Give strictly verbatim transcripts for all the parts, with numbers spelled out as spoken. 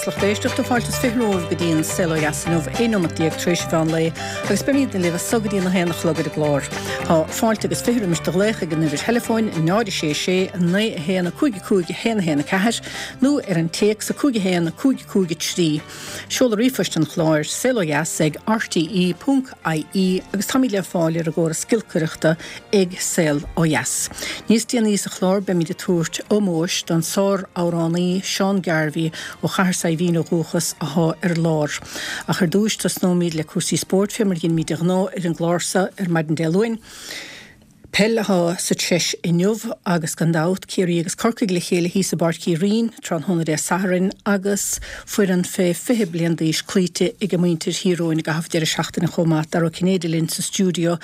Dheas lucht éisteachta fáilte is fiche romhaibh go dtí an Saol Ó Dheas inniu aon nóimeat déag tar éis an mheán lae agus beimid libh as so go dtí a haon a chlog ar an gclár. Tá fáilte agus fiche roimis do ghlaoch ag an uimhir theileafóin náid a sé sé naoi a haon a cúig a cúig a haon a haon a ceathair nó ar an téacs a cúig a haon a cúig a cúig a trí. Seoladh ríomhphoist an chláir saol ó dheas ag rte ponc ie agus táimid le fáil ar an gcóras giolcaireachta ag Saol Ó Dheas. Níos déanaí sa chlár beimid ag tabhairt ómóis don sár-amhránaí Seán Garvey ó Chathair Saidhbhín ó dhúchas athá ar lár. Ach ar dtúis tosnóimid le cúrsaí spóirt fé mar a dheinimid de ghnáth ar an gclár seo ar maidin Dé Luain. Peil athá sa treis inniu agus gan dabht Ciarraí agus Corcaigh le chéile thíos i bPáirc Uí Rinn tráthnóna Dé Sathairn agus foireann fé fiche bliain d'aois cloíte ag muintir Thír Eoghain i gcaitheamh deireadh seachtaine chomh maith. Dara Ó Cinnéide linn sa stiúideo.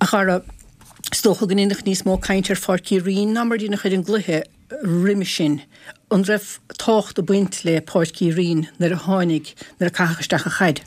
A Dhara, is dócha go ndéanfadh níos mó caint ar Pháirc Uí Rinn ná mar a dhéanfadh ar an gcluiche roimhe sin. An raibh tábhacht ag baint le Páirc Uí Rinn nuair a tháinig, nuair a caitheadh isteach an chaid?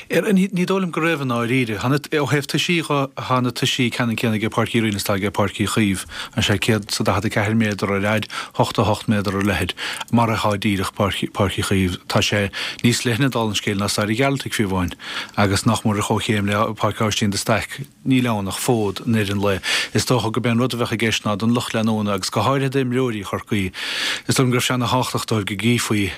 Ní ní dóigh liom go raibh i ndáiríre. Ó thaobh toisí dhe, tá na toisí ceannann céanna aige Páirc Uí Rinn is atá aige Páirc Uí Chaoimh, an sé céad is a daichead a ceathair méadar ar fhaid, ochtó a hocht méadar ar leithead, mar atá díreach Páirc Páirc Uí Chaoimh. Tá sé níos leithne dála an scéil ná Staid an Ghearaltaigh fiú amháin, agus nach mór ar chomhchéim le Páirc Aibhistín de Staic. Níl ann ach fód in rith an lae. Is dócha gurb é an rud a bheadh i gceist ná don lucht leanúna agus go háirithe d'imreoirí Chorcaí, is dóigh liom go raibh sé ana thábhachtach dóibh go gcífí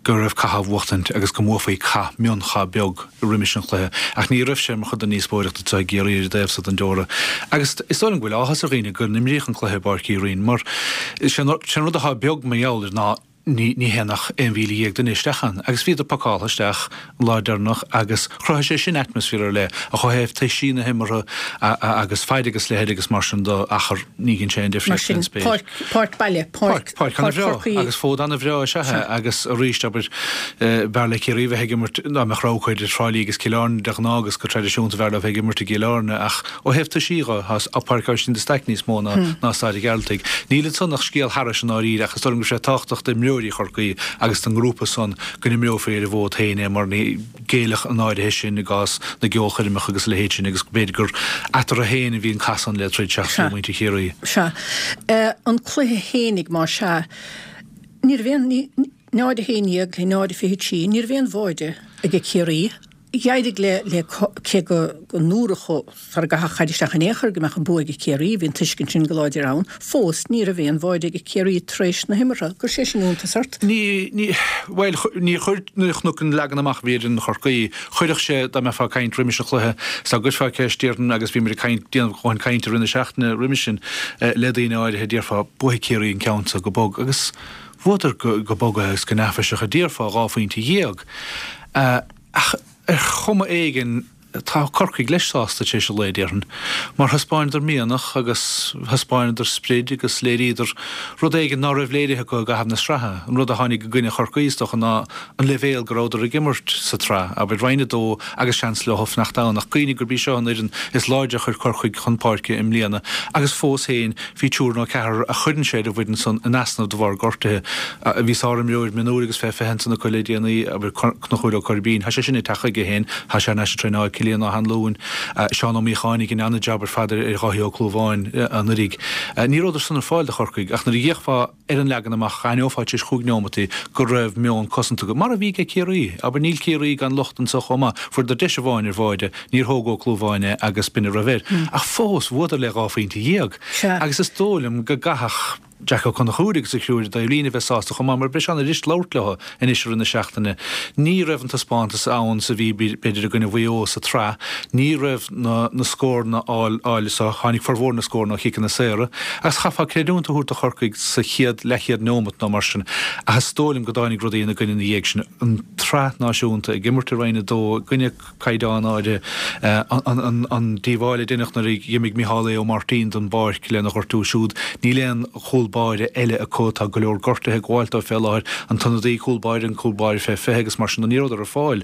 go raibh cath á bhuachtaint agus go mbuafaí cath, mionchath beag roimis an chluiche. Ach ní raibh sé mar chuid den ndíospóireacht anseo i gCiarraí ar an dtaobh so den deora. Agus is dóigh liom go bhfuil áthas ar dhaoine go n-imríodh an cluiche i bPáirc Uí Rinn mar is é an rud atá beag mar gheall air ná ní théann ach aon mhíle dhéag duine isteach ann. Agus bhíodar pacáltha isteach an lá deireanach agus chruthaigh sé sin atmaisféar ar leith ach ó thaobh toisí na himeartha agus faid agus leithead agus mar sin de, achar, ní dhein sé aon difríocht faoin spéir. Mar sin, páirc, páirc baile, páirc, páirc ana-bhreá agus fód ana-bhreá is ea é agus arís, abair, b'fhearr le Ciarraí bheith ag imirt, dá mbeadh rogha acu idir Trá Lí agus Cill Airne de ghnáth agus go traidisiúnta b'fhearr leo bheith ag imirt i gCill Airne ach ó thaobh toisí dhe, tá Páirc Aibhistín de Staic níos mó ná ná Staid an Ghearaltaigh. Níl ansan ach scéal thairis i ndáiríre ach is dóigh liom go raibh sé tábhachtach d'imreoirí Chorcaí agus don ngrúpa san go n-imreofaí ar an bhfód féin é mar ní ghéillfeadh an áirithe sin i gcás na gceolchoirmeacha agus a leithéid sin agus b'fhéidir gur eatarthu féin a bhí an cath san le troid seachas le muintir Chiarraí. Sea. An cluiche fhéinig más ea, ní raibh aon, náid a haon dhéag le náid a fiche trí, ní raibh aon bháide ag Ciarraí. D'éirigh le, le, cé go ndúradh sara gcaitheadh an chaid isteach in aon chor go mbeadh an bua ag Ciarraí, bhí an tuiscint sin go láidir ann, fós ní raibh aon bháide ag Ciarraí tar éis na himeartha. An gcuir sé sin iontas ort? Ní, ní, bhuel, níor chuir, nuair a chonac an leagan amach a bhí ar fhoireann Chorcaí, chuirfeadh sé, dá mbeifeá ag caint roimis an chluiche, is dá gcuirfeá ceist, déarfainn, agus bhí muid ag caint, déanamh dhóthain cainte i rith na seachtaine roimis sin le daoine áirithe, déarfá, buafaidh Ciarraí an ceann seo go bog. Agus bhuadar go, go bog agus go neafaiseach, a déarfá, dhá phointe dhéag. Ach ar chuma éigin, tá Corcaigh leis sásta tar éis an lae, déarfainn, mar thaispeáineadar mianach agus thaispeáineadar sprid agus léiríodar rud éigin ná raibh léirithe acu i gcaitheamh na sraithe. An rud a tháinig i gcoinne Chorcaí, is dócha, ná an leibhéal go rabhadar ag imirt sa tsraith, abair, Roinn a Dó agus seans leo fanacht ann. Ach cuimhnigh gurb í seo an fhoireann is láidre a chuir Corcaigh chun páirce i mbliana agus fós féin bhí triúr nó ceathrar a chuireann sé ar an bhfoireann san in easnamh de bharr gortuithe. Bhí sárimreoir mionúir agus fé fiche ansan acu le déanaí, abair, Conchúr Ó Coirbín. Tá sé sin ag teacht chuige féin. Tá sé thar n-ais ag traenáil Cillian Ó hAnluain, Seán Ó Míocháin a dhein an-jab ar fad ar Dháithí Ó Clúmháin anuraidh. Ní rabhadar san ar fáil do Chorcaigh ach nuair a d'fhéachfá ar an leagan amach d'aithneofá tar éis chúig neomataí go raibh meon cosanta acu, mar a bhí ag Ciarraí. Abair, níl Ciarraí gan locht anso chomh maith. Fuaireadar deis amháin ar bháide, níor thóg Ó Clúmháin é agus b'in a raibh air. Ach fós, bhuadar le dhá phointe dhéag. Agus is dóigh liom go gcaithfeadh Jack Ó Conchúir agus a chriú ar an dtaobhlíne a bheith sásta chomh maith mar beidh sé ana-dheas labhairt leo anois i rith na seachtaine. Ní raibh an taispeántas ann is a bhí b'fhéidir i gcoinne Mhaigh Eo sa tsraith. Ní raibh na na scóranna á fháil so tháinig formhór na scóranna ó chiceanna saora. Agus chaithfeá creidiúint a thabhairt do Chorcaigh sa chéad leathchéad neomat nó mar sin ach is dóigh liom go dtáinig rudaí ina gcoinne ina dhiaidh sin. An tsraith náisiúnta ag imirt i Roinn a Dó i gcoinne caighdeán áirithe. An díobháil a deineadh nuair a dh'imigh Micheál Aodh Ó Máirtín den bpáirc lena ghortú siúd. Níl aon chúl báire eile acu. Tá go leor gortuithe ag gabháilt dóibh fé láthair. An t-ionadaí cúl báire, an cúl báire fé fiche agus mar sin de ní rabhadar ar fáil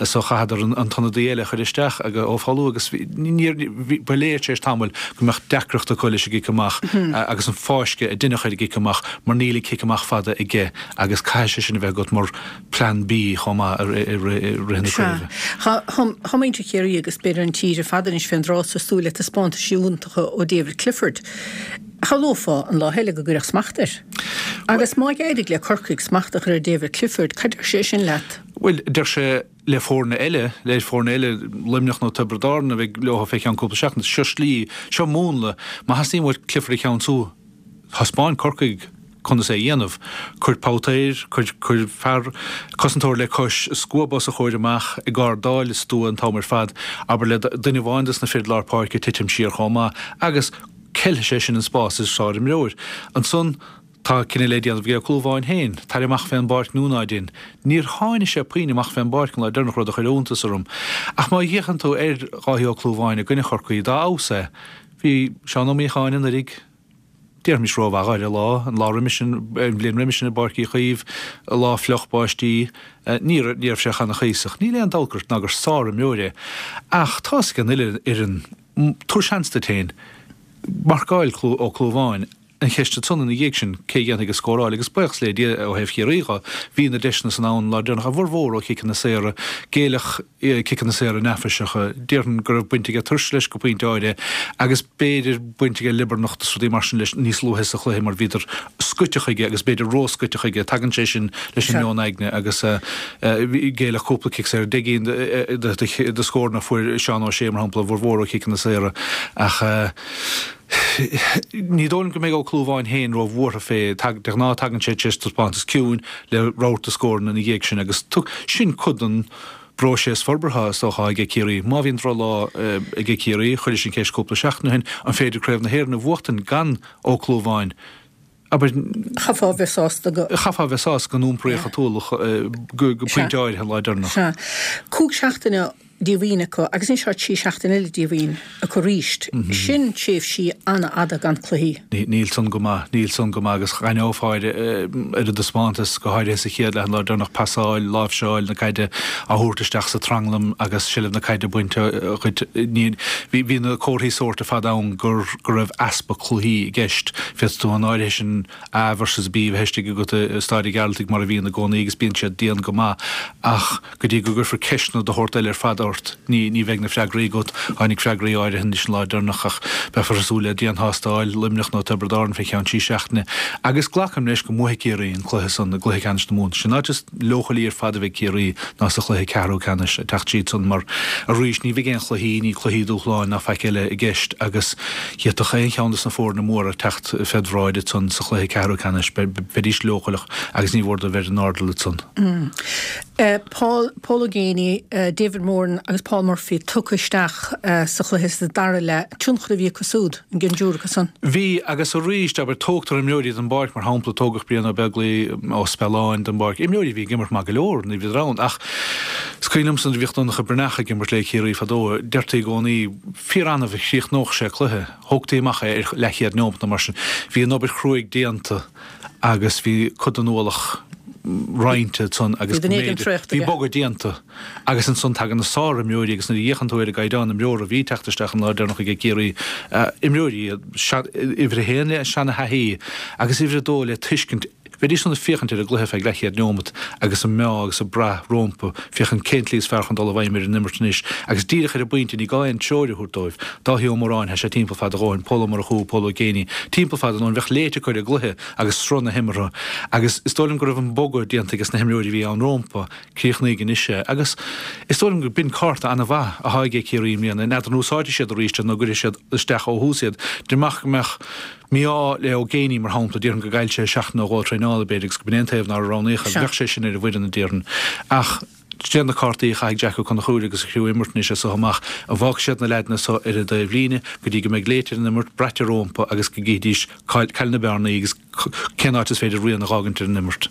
so chaitheadar an t-ionadaí eile a chur isteach Ó Foghlú agus ba léir tar éis tamaill go mbeadh deacracht acu leis an gcic amach agus an fáisceadh a deineadh ar an gcic amach mar níl an cic amach fada aige agus caithfidh sé sin a bheith agat mar Plean B chomh maith i rith na craoibhe. Sea. Tá muintir Chiarraí agus b'fhéidir an tír ar fad anois fén dtráth so ag súil le taispeántais iontacha ó David Clifford. Shamhlófá an lá eile go gcuirfeadh smacht air. Agus má d'éirigh le Corcaigh smacht a chur ar David Clifford, cad deir sé sin leat? Bhuel, deir sé le foirne eile, le foirne eile, Luimneach nó Tiobraid Árann a bheidh leo fé cheann cúpla seachtain, seo slí, seo múnla, má theastaíonn uait Clifford a cheansú, thaispeáin Corcaigh conas é a dhéanamh. Cuir babhta air, cuir, cuir fear, cosantóir le cois, scuab os a chomhair amach, ag ardáil is stua an t-am ar fad, abair le duine amháin dos na fir lár páirce titim siar chomh maith, agus ceilfidh sé sin an spás is sárimreoir. Ansan, tá cinneadh le déanamh ag Ó Clúmháin féin, tar amach fén bpáirc nó ná dein. Níor tháinig sé puinn amach fén bpáirc an lá deireanach, rud a chuir iontas orm. Ach má fhéachann tú ar Dháithí Ó Clúmháin i gcoinne Chorcaí, dá fheabhas é, bhí Seán Ó Míocháin anuraidh, déarfaimis rómhaith air an lá, an lá roimis sin, an bhliain roimis sin i bPáirc Uí Chaoimh, lá fliuch báistí, ní raibh sé ana-chuíosach. Níl aon dabht gur ná gur sárimreoir é. Ach tá's ag an uile fhoireann, tabhair seans duit féin, marcáil Ó Clúmháin, An cheist ansan ina dhiaidh sin, cé a dhéanfaidh an scóráil? Agus buíochas le Dia ó thaobh Chiarraí dho, bhí na deiseanna san ann an lá deireanach, a bhformhór ó chiceanna saora, géilleadh ciceanna saora neafaiseacha. Déarfainn go raibh baint aige tuirse leis go pointe áirithe agus b'fhéidir baint aige liobarnacht is rudaí mar sin leis níos luaithe sa chluiche mar bhíodar scoite chuige agus b'fhéidir ró-scoite chuige. Tagann sé sin leis an meon aigne agus géilleadh cúpla cic saor. Deich gcinn de scóranna a fuair Seán Ó Sé, mar shampla, a bhformhór ó chiceanna saora ach, Ní dóigh liom go mbeidh Ó Clúmháin féin róbhuartha fé. De ghnáth tagann sé tar éis taispeántas ciúin le rabharta scóranna ina dhiaidh sin agus sin cuid den bpróiseas forbartha is dócha aige Ciarraí. Má bhíonn drochlá aige Ciarraí, chuiris an cheist cúpla seachtain ó shin, an féidir Craobh na hÉireann a bhuachtain gan Ó Clúmháin? Abair. Chaithfeá a bheith sásta go. Chaithfeá a bheith sásta go n-iompraíodh an t-ualach go pointe áirithe an lá deireanach. Sea. Cúig seachtaine díomhaoin acu agus anois tá trí seachtaine eile díomhaoin acu arís. Sin tréimhsí an-fhada gan cluichí. Níl san go maith, níl san go maith agus dh'aithneofá ar an dtaispeántas, go háirithe sa chéad leath an lá deireanach, pasáil, láimhseáil na caide á thabhairt isteach sa tranglam agus seilbh na caide bainte dhuit. Bhí na comharthaí sóirt ar fad ann go raibh easpa cluichí i gceist. Féadfaidh tú an áirithe sin A versus B a bheith istigh agat i Staid an Ghearaltaigh mar a bhíonn i gcónaí agus bíonn siad dian go maith ach go dtí go gcuirfear ceisteanna de shórt eile ar fad ort ní ní bheidh na freagraí agat. Tháinig freagraí áirithe anois an lá deireanach ach beifear ag súil le dianthástáil Luimneach nó Tiobraid Árann fé cheann trí seachtaine agus glacaim leis go mbuafaidh Ciarraí an cluiche san i gcluiche ceannais na Mumhan. Sin áit is leochailí ar fad a bheidh Ciarraí ná sa chluiche ceathrú ceannais ag teacht tríd san mar arís ní bheidh aon chluichí, ní cluichí dúshláin ná faic eile i gceist agus d'fhéadfadh aon cheann de na foirne móra teacht fed bhráid ansan sa chluiche ceathrú ceannais. Bheidís leochaileach agus ní mhór dóibh bheith ar an airdeall ansan. Paul Paul Ó Géibheannaigh, David Moran agus Paul Murphy tugtha isteach sa chluiche sa dara leath. Tionchar a bhí acu súd, an gcionn acu san? Bhí, agus arís, abair, tógtar imreoirí den bpáirc, mar shampla, tógadh Brian Ó Beaglaoi Ó Spealáin den bpáirc, imreoirí a bhí ag imirt maith go leor nuair a bhíodar ann, ach is cuimhin liomsa nuair a bhíodh Donncha Breathnach ag imirt le Ciarraí fadó, deirtí i gcónaí, fíor-annamh a chríochnódh sé cluiche, thógtaí amach é ar leathchéad neomat nó mar sin. Bhí an obair chruaidh déanta agus bhí cuid den ualach roinnte ansan agus go mb'fhéidir, bhí bogadh déanta agus ansan tagann na sárimreoirí agus nuair a fhéachann tú ar an gcaighdeán imreora a bhí ag teacht isteach an lá deireanach aige Ciarraí, imreoirí iad, uimhir a haon le seana-thaithí agus uimhir a dó le tuiscint, bheidís san ag féachaint ar an gcluiche feadh leathchéad neomat agus ag meá agus ag brath rómpa, féachaint cén tslí is fearr chun dul i bhfeidhm ar an imirt anois agus díreach ar an bpointe ní gá aon treoir a thabhairt dóibh. Dáithí Ó Móráin, tá sé timpeall fad a dhóthain, Pól Ó Murchú, Pól Ó Géibheannaigh, timpeall fad a ndóthain, bheadh léite acu ar an gcluiche agus sruth na himeartha agus is dóigh liom go raibh an bogadh déanta ages na himreoirí a bhí ann rómpa, críochnaíodh anois é agus is dóigh liom gur b'in cárta an-mhaith athá aige Ciarraí i mbliana, n'fheadar an úsáidfidh siad arís iad nó an gcuirfidh siad isteach ó thús iad, dá mbeadh go mbeadh mí-ádh le Ó Géibheannaigh mar shampla, déarfainn go gcaillfeadh sé seachtain nó dhó traenála b'fhéidir agus go b'in é an taobh nár roghnaíodh é, bheadh sé sin ar an bhfoireann a déarfainn ach de na cártaí a chaithfidh Jack Ó Conchúir agus a chriú imirt anois as so amach, an bhfágfaidh siad na leaideanna so ar an dtaobhlíne go dtí go mbeidh léite ar an imirt, braite rómpa agus go gcífidís cá'il na bearnaí agus cén áit is féidir rian a dh'fhágaint ar an imirt.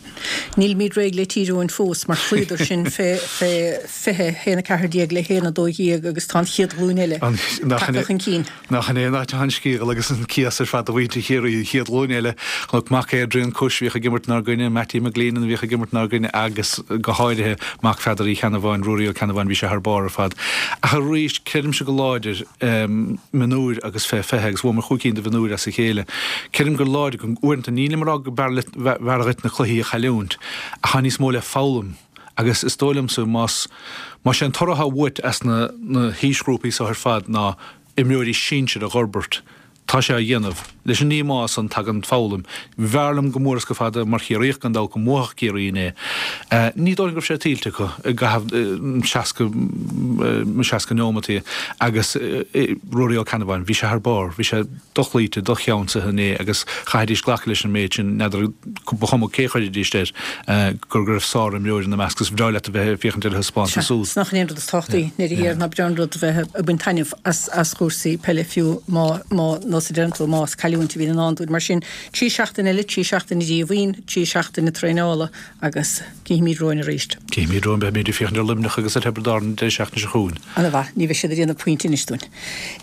Nílimid réidh le Tír Eoghain fós mar chloíodar sinn fé fiche, haon a ceathair déag le haon a dó dhéag agus tá an chéad ghlúin eile tagtha chun cinn. Nach in é an áit atá an scéal agus an cíos ar fad do mhuintir Chiarraí, an chéad ghlúin eile. Chonac mac Adrian Cush a bhíodh ag imirt inár gcoinne, Mattie McGleenan a bhíodh ag imirt inár gcoinne agus go háirithe mac Pheadair Uí Cheannabháin, Ruairí Ó Ceannabháin, bhí sé thar barr ar fad. Ach arís, creidimse go láidir, mionúir agus fé fiche agus bhuamar chúig cinn de mhionúir as a chéile. Creidim go láidir go uaireanta, nílim ag rá go mb'fhearr dhuit na cluichí a chailliúint ach tá níos mó le foghlaim agus is dóigh liomsa más más é an toradh atá uait as na na haoisghrúpaí seo ar fad ná imreoirí sinsir a dh'fhorbairt, Tá sé á dhéanamh. Leis an ndíomá san tagann foghlaim. B'fhearr liom go mór is go fada mar Chiarraíoch gan dabht go mbuafadh Ciarraí inné. Ní dóigh liom go raibh sé tuillte acu i gcaitheamh seasca seasca neomataí agus Ruairí Ó Ceannabháin, bhí sé thar barr, bhí sé dochloíte, docheansaithe inné agus chaithfidís glacadh leis an méid sin, n'fheadar, ba chuma cé a chuirfidís air, gur go raibh sárimreoir ina measc agus ba bhreá leat a bheith ag féachaint ar a thaispeántas úd. Sea, 's nach in é an rud is tábhachtaí i ndeireadh thiar ná breá an rud a bheith ag baint taitneamh as as chúrsaí peile fiú má má nós a deireann tú más cailliúint a bhíonn i ndán dúinn. Mar sin, trí seachtaine eile, trí seachtaine díomhaoin, trí seachtaine traenála agus cífimid romhainn arís. Cífimid romhainn, beimid ag féachaint ar Luimneach agus ar Thiobraid Árann an deireadh seachtaine seo chugainn. Ana mhaith, ní bheidh siad ag déanamh pointe anois dúinn.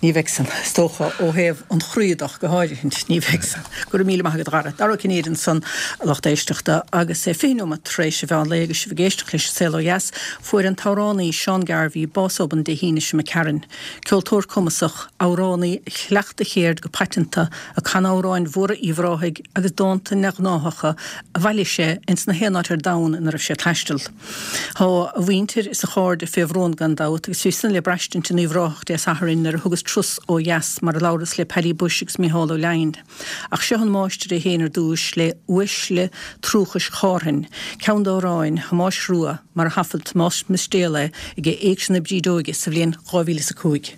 Ní bheidh san, is dócha, ó thaobh an chroí de ach go háirithint, ní bheidh san. Go raibh míle maith agat a Dhara. Dara Ó Cinnéide ansan, a lucht éisteachta, agus é fiche nóiméad tar éis an mheán lae agus sibh ag éisteacht leis An Saol Ó Dheas, fuair an t-amhránaí Seán Garvey bás obann Dé hAoine seo imigh tharainn. Ceoltóir cumasach, amhránaí a chleacht a chéird go paiteanta, ag canadh amhráin mhóra Uíbh Ráthaigh agus dánta neamhghnáthacha a bhailigh sé ins na haon áit ar domhan ina raibh sé ag taisteal. Tá a mhuintir is a chairde fé bhrón gan dabht agus bhí san le braistint in Uíbh Ráthach Dé Sathairn nuair a thugas turas ó dheas mar a labhras le Paddy Bushe agus Micheál Ó Leidhin. Ach seo an máistir é féin ar dtúis le Uaisle Truachais Chárthainn, ceann d'amhráin Thomáis Rua mar a thaifead Tomás Mistéal é ag Éigse na Brídeoige sa bhliain dhá mhíle is a cúig.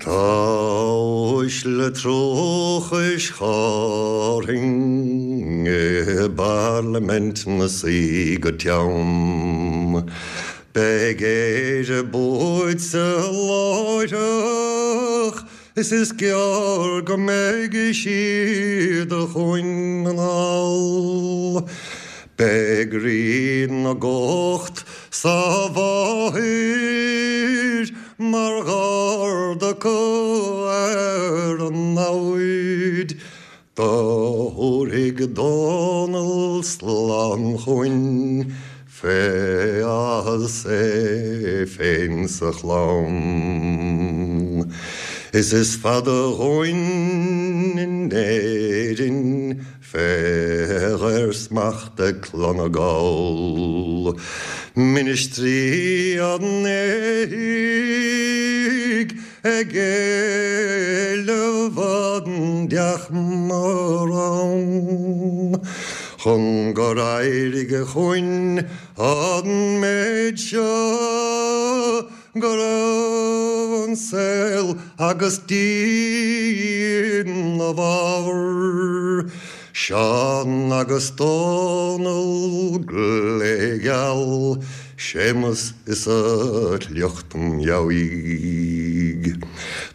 Tá uaisle truachais Chárthainn i bParlaimint 'na suí go teann. Beidh Éire buaite láithreach is is gearr go mbeidh siad chugainn anall. Beidh Rí na gCumhacht sa bhfáthair mar gharda acu ar an namhaid. Do thabharfaidh Dónall slán chugainn fé áthas é féin 's a chlann. Is is fada dhúinn in Éirinn Fé dhaorsmacht ag Clann na nGall, Ministrí an éithigh ag éileamh an deachma rann, Chun gur éirigh chugainn an méid seo Go raibh an saol agus Dia ina bhfabhar, Seán agus Dónall glégheal, Séamus is a shliocht meabhaigh.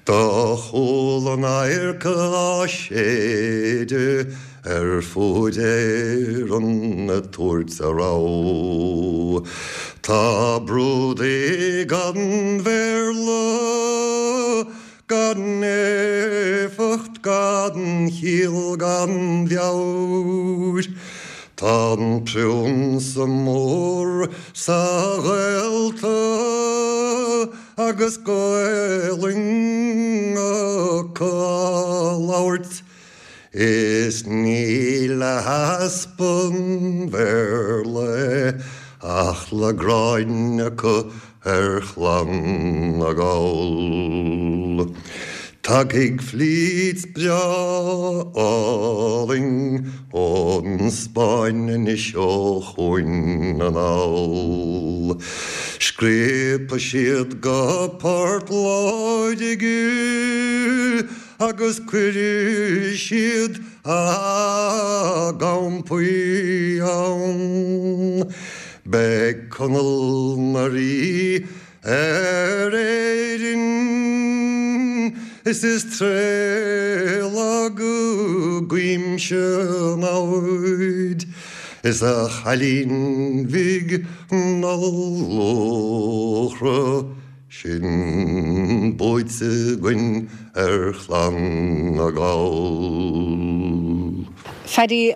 Do chuala an adharca á séideadh ar fuaid Éireann ag tabhairt a rabhadh. Tá brúdaigh an Bhéarla gan éifeacht, gan chiall, gan mheabhair. Tá an Priúnsa Mór sa Ghaeltacht agus Gaelainn acu á labhairt. Is ní le heaspa an Bhéarla é ach le gráin acu ar Chlann na nGall. Tagfaidh flít breá álainn ón Spáinn anois ó chugainn anall. Scríobfaidh siad go Port Láirge Agus cuirfidh siad a gcampaí ann. Beidh Conall 'na rí ar Éirinn is is tréithlag i gcuimse a namhaid is a chailín bhig na luachra. Sin buaite againn ar Chlann na nGall. Phaddy,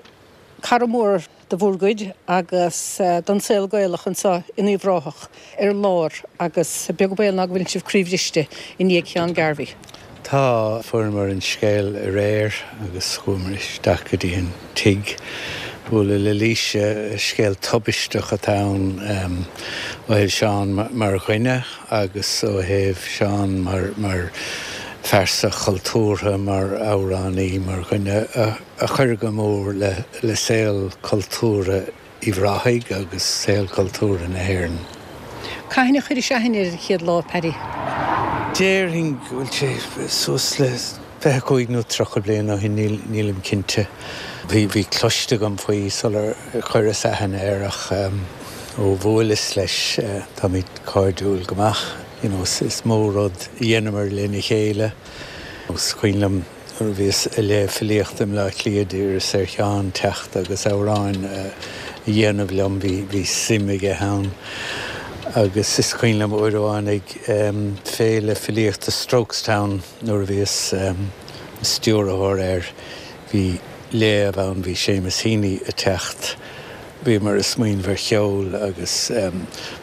cara mór de bhur gcuid agus don saol Gaelach anseo in Uíbh Ráthach ar lár agus beag baol ná go bhfuileann sibh croíbhriste i ndiaidh Sheán Garvey. Tá, fuaireamar an scéal aréir agus chuamar isteach go dtí an tigh bualadh le Laoise. Scéal tubaisteach atá ann ó thaobh Seán mar dhuine agus ó thaobh Seán mar mar phearsa chultúrtha, mar amhránaí, mar dhuine a chuir go mór le le saol cultúrtha Uíbh Ráthaigh agus saol cultúrtha na hÉireann. Cathain a chuiris aithne air an chéad lá, Paddy? Déarfainn go bhfuil sé suas le fiche cúig nó tríocha bliain ó shin, nílim cinnte. Bhí bhí cloiste agam faoi sular chuireas aithne air ach ó bhuaileas leis táimid cairdiúil go maith. You know, is mó rud a dheineamar lena chéile. Is cuimhin liom nuair a bhíos ag léamh filíochta i mBleá Cliath d'iarras ar Sheán teacht agus amhráin a dhéanamh liom, bhí bhí suim aige ann. Agus is cuimhin liom uair amháin ag féile filíochta Strokestown nuair a bhíos stiúrthóir air, bhí léamh ann, bhí Seamus Heaney ag teacht, bhíomar ag smaoineamh ar cheol agus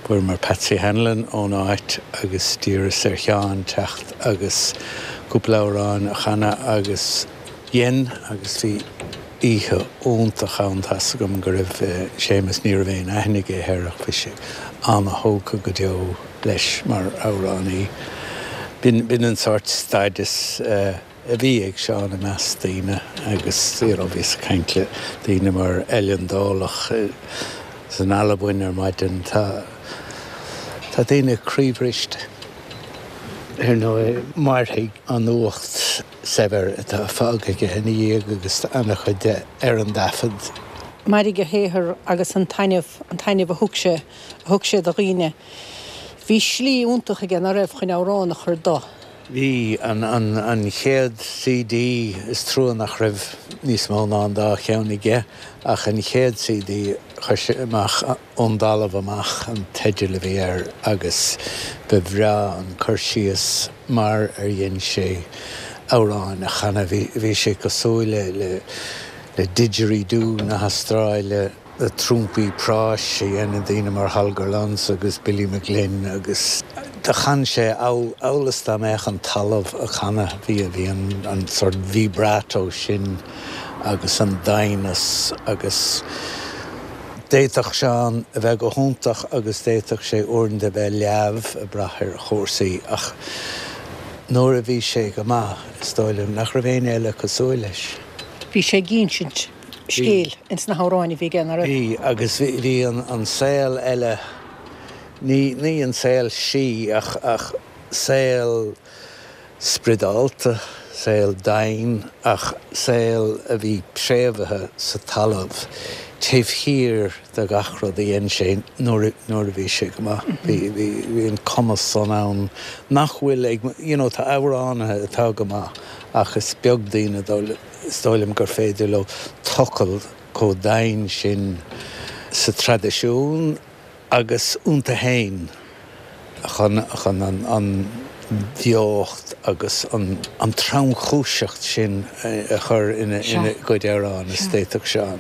fuaireamar Patsy Hanlon ón áit agus d'iarras ar Sheán teacht agus cúpla amhrán a chanadh agus dhein agus bhí oíche iontach ann. Tá's agam go raibh Séamus, ní raibh aon aithne aige air ach bhí sé an-thógtha go deo leis mar amhránaí. B'in b'in an sórt stádas a bhí ag Seán i measc daoine agus you know bhíos ag caint le daoine mar Eilean Dálach san Albain ar maidin. Tá tá daoine croíbhriste. Ar ndóigh, mairfidh an nuacht saibhir atá fágtha aige ina dhiaidh agus an-chuid de ar an dtaifead. Mairfidh a shaothar agus an taitneamh, an taitneamh a thug sé, a thug sé do dhaoine. Bhí slí iontach aige, ná raibh, chun amhrán a chur do. Bhí. An, an, an chéad C D, is trua nach raibh níos mó ná an dá cheann aige, ach an chéad C D chuir sé amach, Ón dTalamh Amach an teideal a bhí air agus ba bhreá an cur síos mar ar dhein sé amhráin a chanadh. Bhí, bhí sé cosúil le, le, le didgeridoo na hAstráile, na trúmpaí práis a dhéanann daoine mar Holger Levsen agus Billy McGlynn agus do chan sé amhail, amhail is dá mbeadh an talamh á chanadh. Bhí, bhí an, an sort vibrato sin agus an doimhneas agus. D'fhéadfadh Seán a bheith go hiontach agus d'fhéadfadh sé uaireanta a bheith leamh ag brath ar chúrsaí ach nuair a bhí sé go maith, is dóigh liom nach raibh éinne eile cosúil leis. Bhí sé ag insint scéil ins na hamhráin a bhí aige, ná raibh? Bhí, agus bhí an saol eile, ní ní an saol sí ach ach saol spioradálta, saol domhain ach saol a bhí préamhaithe sa talamh taobh thiar de gach rud a dhein sé nuair nuair a bhí sé go maith. Bhí bhí bhí an cumas san ann nach bhfuil ag, you know, tá amhránaithe atá go maith ach is beag daoine is dóigh liom gur féidir leo tochailt chomh domhain sin sa traidisiún agus iontu féin chun chun an an bheocht agus an an tromchúiseacht sin a chur ina ina gcuid amhrán is d'fhéadfadh Seán.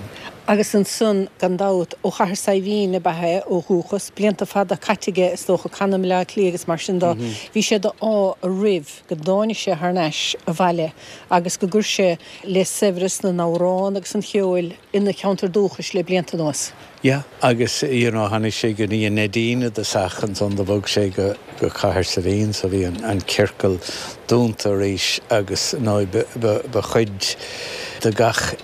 Agus ansan, gan dabht, ó Chathair Saidhbhín ab ea é ó dhúchas, blianta fada caite aige is dócha ag canadh i mBleá Cliath agus mar sin de, bhí sé d'ádh roimh go dtáinig sé thar n-ais abhaile agus go gcuir sé le saibhreas na n-amhrán agus an cheoil ina cheantar dúchais le blianta anuas. Yeah, agus you know tháinig sé go dtí an Neidín i dtosach, ansan do bhog sé go go Cathair Saidhbhín so bhí an an ciorcal dúnta arís agus nó ba ba ba chuid de gach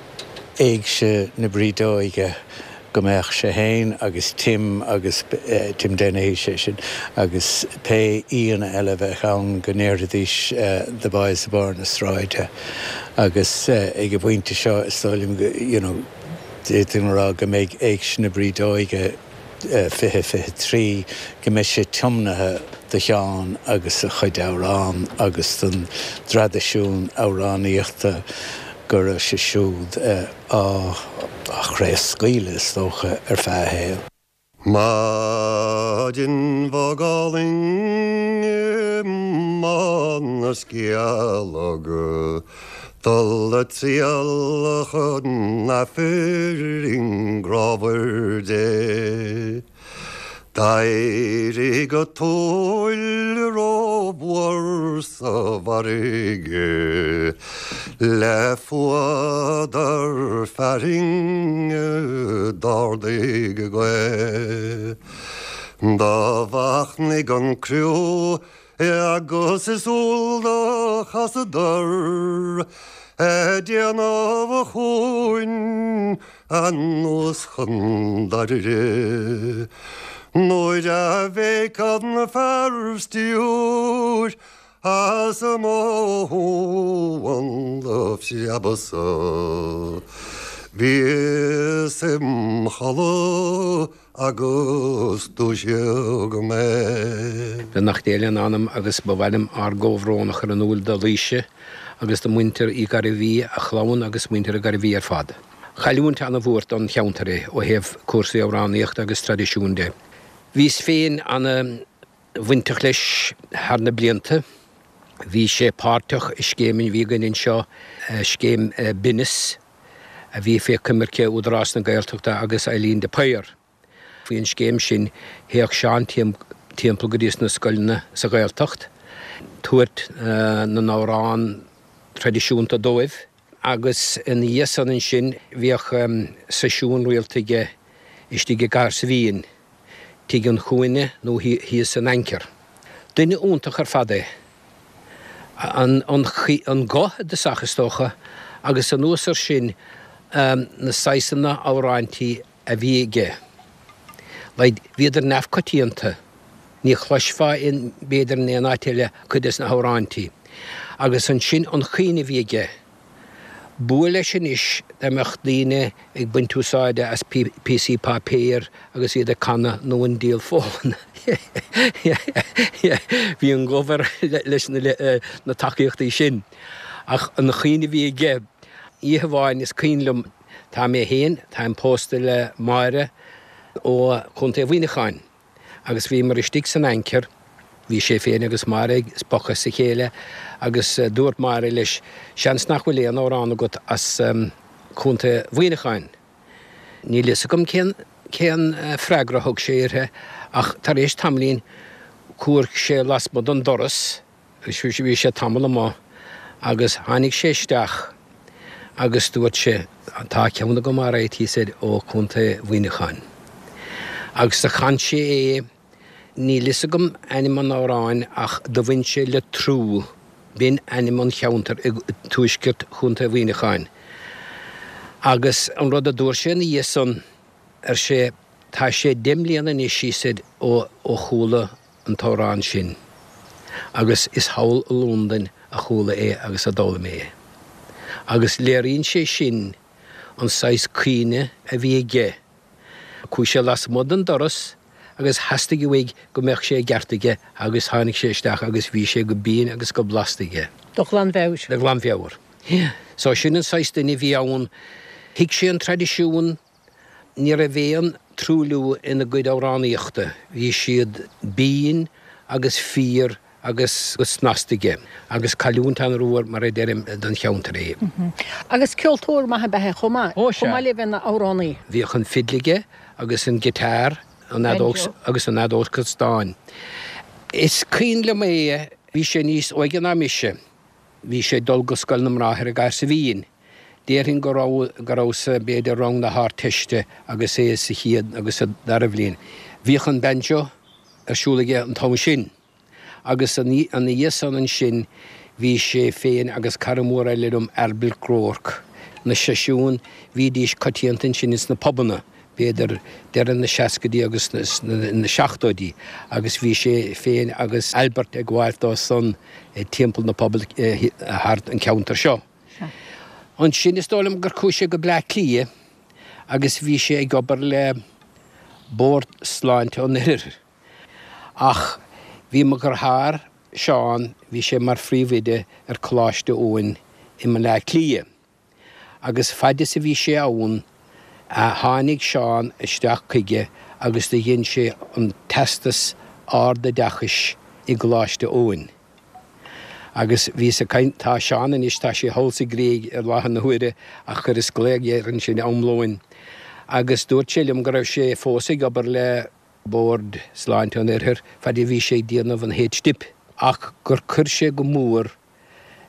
éigse na Brídeoige go mbeadh sé féin agus Tim agus Tim Dennehy sé sin agus pé aíonna eile a bheadh ann go ndéarfaidís The Boys i barr na sráide agus ag an bpointe seo is dóigh liom go you know d'fhéadfainn a rá go mbeidh Éigse na Brídeoige fiche fiche trí go mbeidh sé tiomnaithe do Sheán agus a chuid amhrán agus don dtraidisiún amhránaíochta go raibh sé siúd á chraobhscaoileadh is dócha ar feadh a shaoil. Maidin bhog álainn i mBá na Scealg, dul a triall chun Aifrinn grámhair Dé. D'éirigh an tuile rómhór sa bhfarraige le fuadar fearthainne d'ardaigh an ghaoth. Do mhachnaigh an criú Agus is eol do chasadar ag déanamh an chuain anuas chun Doire. Nuair a bhéic an fear stiúir as mo thóin do phreabadh-sa. Bhíos im chodladh agus dúisíodh mé. Beannacht Dé lena anam agus ba mhaith liom ár gcomhbhrón a chur in iúl do Laoise agus do mhuintir Uí Ghairbhí, a chlann agus muintir Uí Ghairbhí ar fad. Cailliúint ana-mhór don cheantar é ó thaobh cúrsaí amhránaíochta agus traidisiún de. Bhíos féin ana-bhainteach leis thar na blianta. Bhí sé páirteach i scéim a bhí againn anseo, scéim Binneas, a bhí fé choimirce Údarás na Gaeltachta agus Eileen de Paor. Faoin scéim sin théadh Seán timpeall go dtí na scoileanna sa Ghaeltacht, tabhairt na n-amhrán traidisiúnta dóibh agus ina dhiaidh san ansin bhíodh seisiún rialta aige istigh i gCathair Saibhín, Tigh an Chúinne nó thíos san Anchor. Duine iontach ar fad é. An an guth i dtosach is dócha agus anuas ar sin na saghsanna amhráintí a bhí aige. Like, bhíodar neamhchoitianta. Ní chloisfeá in b'fhéidir in aon áit eile cuid des na hamhráintí. Agus ansin an chaoineadh a bhí aige. B'fhuath leis anois dá mbeadh daoine ag baint úsáide as píosaí páipéir agus iad ag canadh nó an diabhal fón. Bhí an gomh air leis na tacaíochtaí sin. Ach an chaoineadh a bhí aige, oíche amháin is cuimhin liom, tá mé féin, táim pósta le Máire ó Chontae Mhuineacháin agus bhíomar istigh san Anchor, Bhí sé féin agus Máire ag spochadh as a chéile agus dúirt Máire leis, Seans nach bhfuil aon amhrán agat as Contae Mhuineacháin. Níl fhios agam cén cén freagra a thug sé uirthi ach tar éis tamaillín chuaigh sé lasmuigh den doras agus bhí sé tamall amuigh agus tháinig sé isteach agus dúirt sé, Tá ceann agam alright, he said, ó Chontae Mhuineacháin. Agus do chan sé é. Níl fhios agam ainm an amhráin ach do bhain sé le Trú, b'in ainm an cheantair i dtuaisceart Chontae Mhuineacháin. Agus an rud a dúirt sé ina dhiaidh san, ar sé, tá sé deich mbliana anois, he said, ó ó chuala an t-amhrán sin agus is thall i Londain a chuala é agus a d'fhoghlaim mé é. Agus léiríonn sé sin an saghas caoineadh a bhí aige. Chuaigh sé lasmuigh den doras agus theastaigh uaidh go mbeadh sé i gceart aige agus tháinig sé isteach agus bhí sé go binn agus go blasta aige. De ghlanmheabhair. De ghlanmheabhair. So sin an saghas duine a bhí ann. Thuig sé an traidisiún, ní raibh aon truailliú ina gcuid amhránaíochta, bhí siad binn agus fíor agus go snasta aige agus cailliúint an-mhór mar a deirim don cheantar é. Agus ceoltóir maith ab ea é chomh maith, Ó sea. chomh maith le bheith ina amhránaí. Bhíodh an fidil aige agus an guitar, an fheadóg agus an fheadóg stáin. Is cuimhin liom é, bhí sé níos óige ná mise, bhí sé ag dul go Scoil na mBráithre i gCathair Saibhín. Déarfainn go raibh, go raibh sa, b'fhéidir rang na hArdteiste agus é sa chéad agus sa dara bhliain. Bhíodh an banjo ar siúl aige an t-am sin. Agus ina dhiaidh san ansin bhí sé féin agus cara mór eile liom, Albert Groarke. Na seisiúin, bhídís coitianta ansin ins na pubanna, b'fhéidir deireadh na seascaidí agus na seachtóidí, agus bhí sé féin agus Albert ag gabháil dó san timpeall na bpuball thart an ceantar seo. Ansin is dóigh liom gur chuaigh sé go Bleá Cliath agus bhí sé ag obair le Bord Sláinte an Oirthir. Ach bhí mo dheartháir, Seán, bhí sé mar phríomhoide ar Choláiste Eoin i mBleá Cliath. Agus fad is a bhí sé ann, tháinig Seán isteach chuige agus do dhein sé an teastas ardoideachais i gColáiste Eoin. Agus bhíos ag caint, tá Seán anois, tá sé thall sa Ghréig i láthair na huaire ach chuireas glaoch air ansin am lóin agus dúirt sé liom go raibh sé fós ag obair le Bord Sláinte an Oirthir fad a bhí sé ag déanamh an H-Dip ach gur chuir sé go mór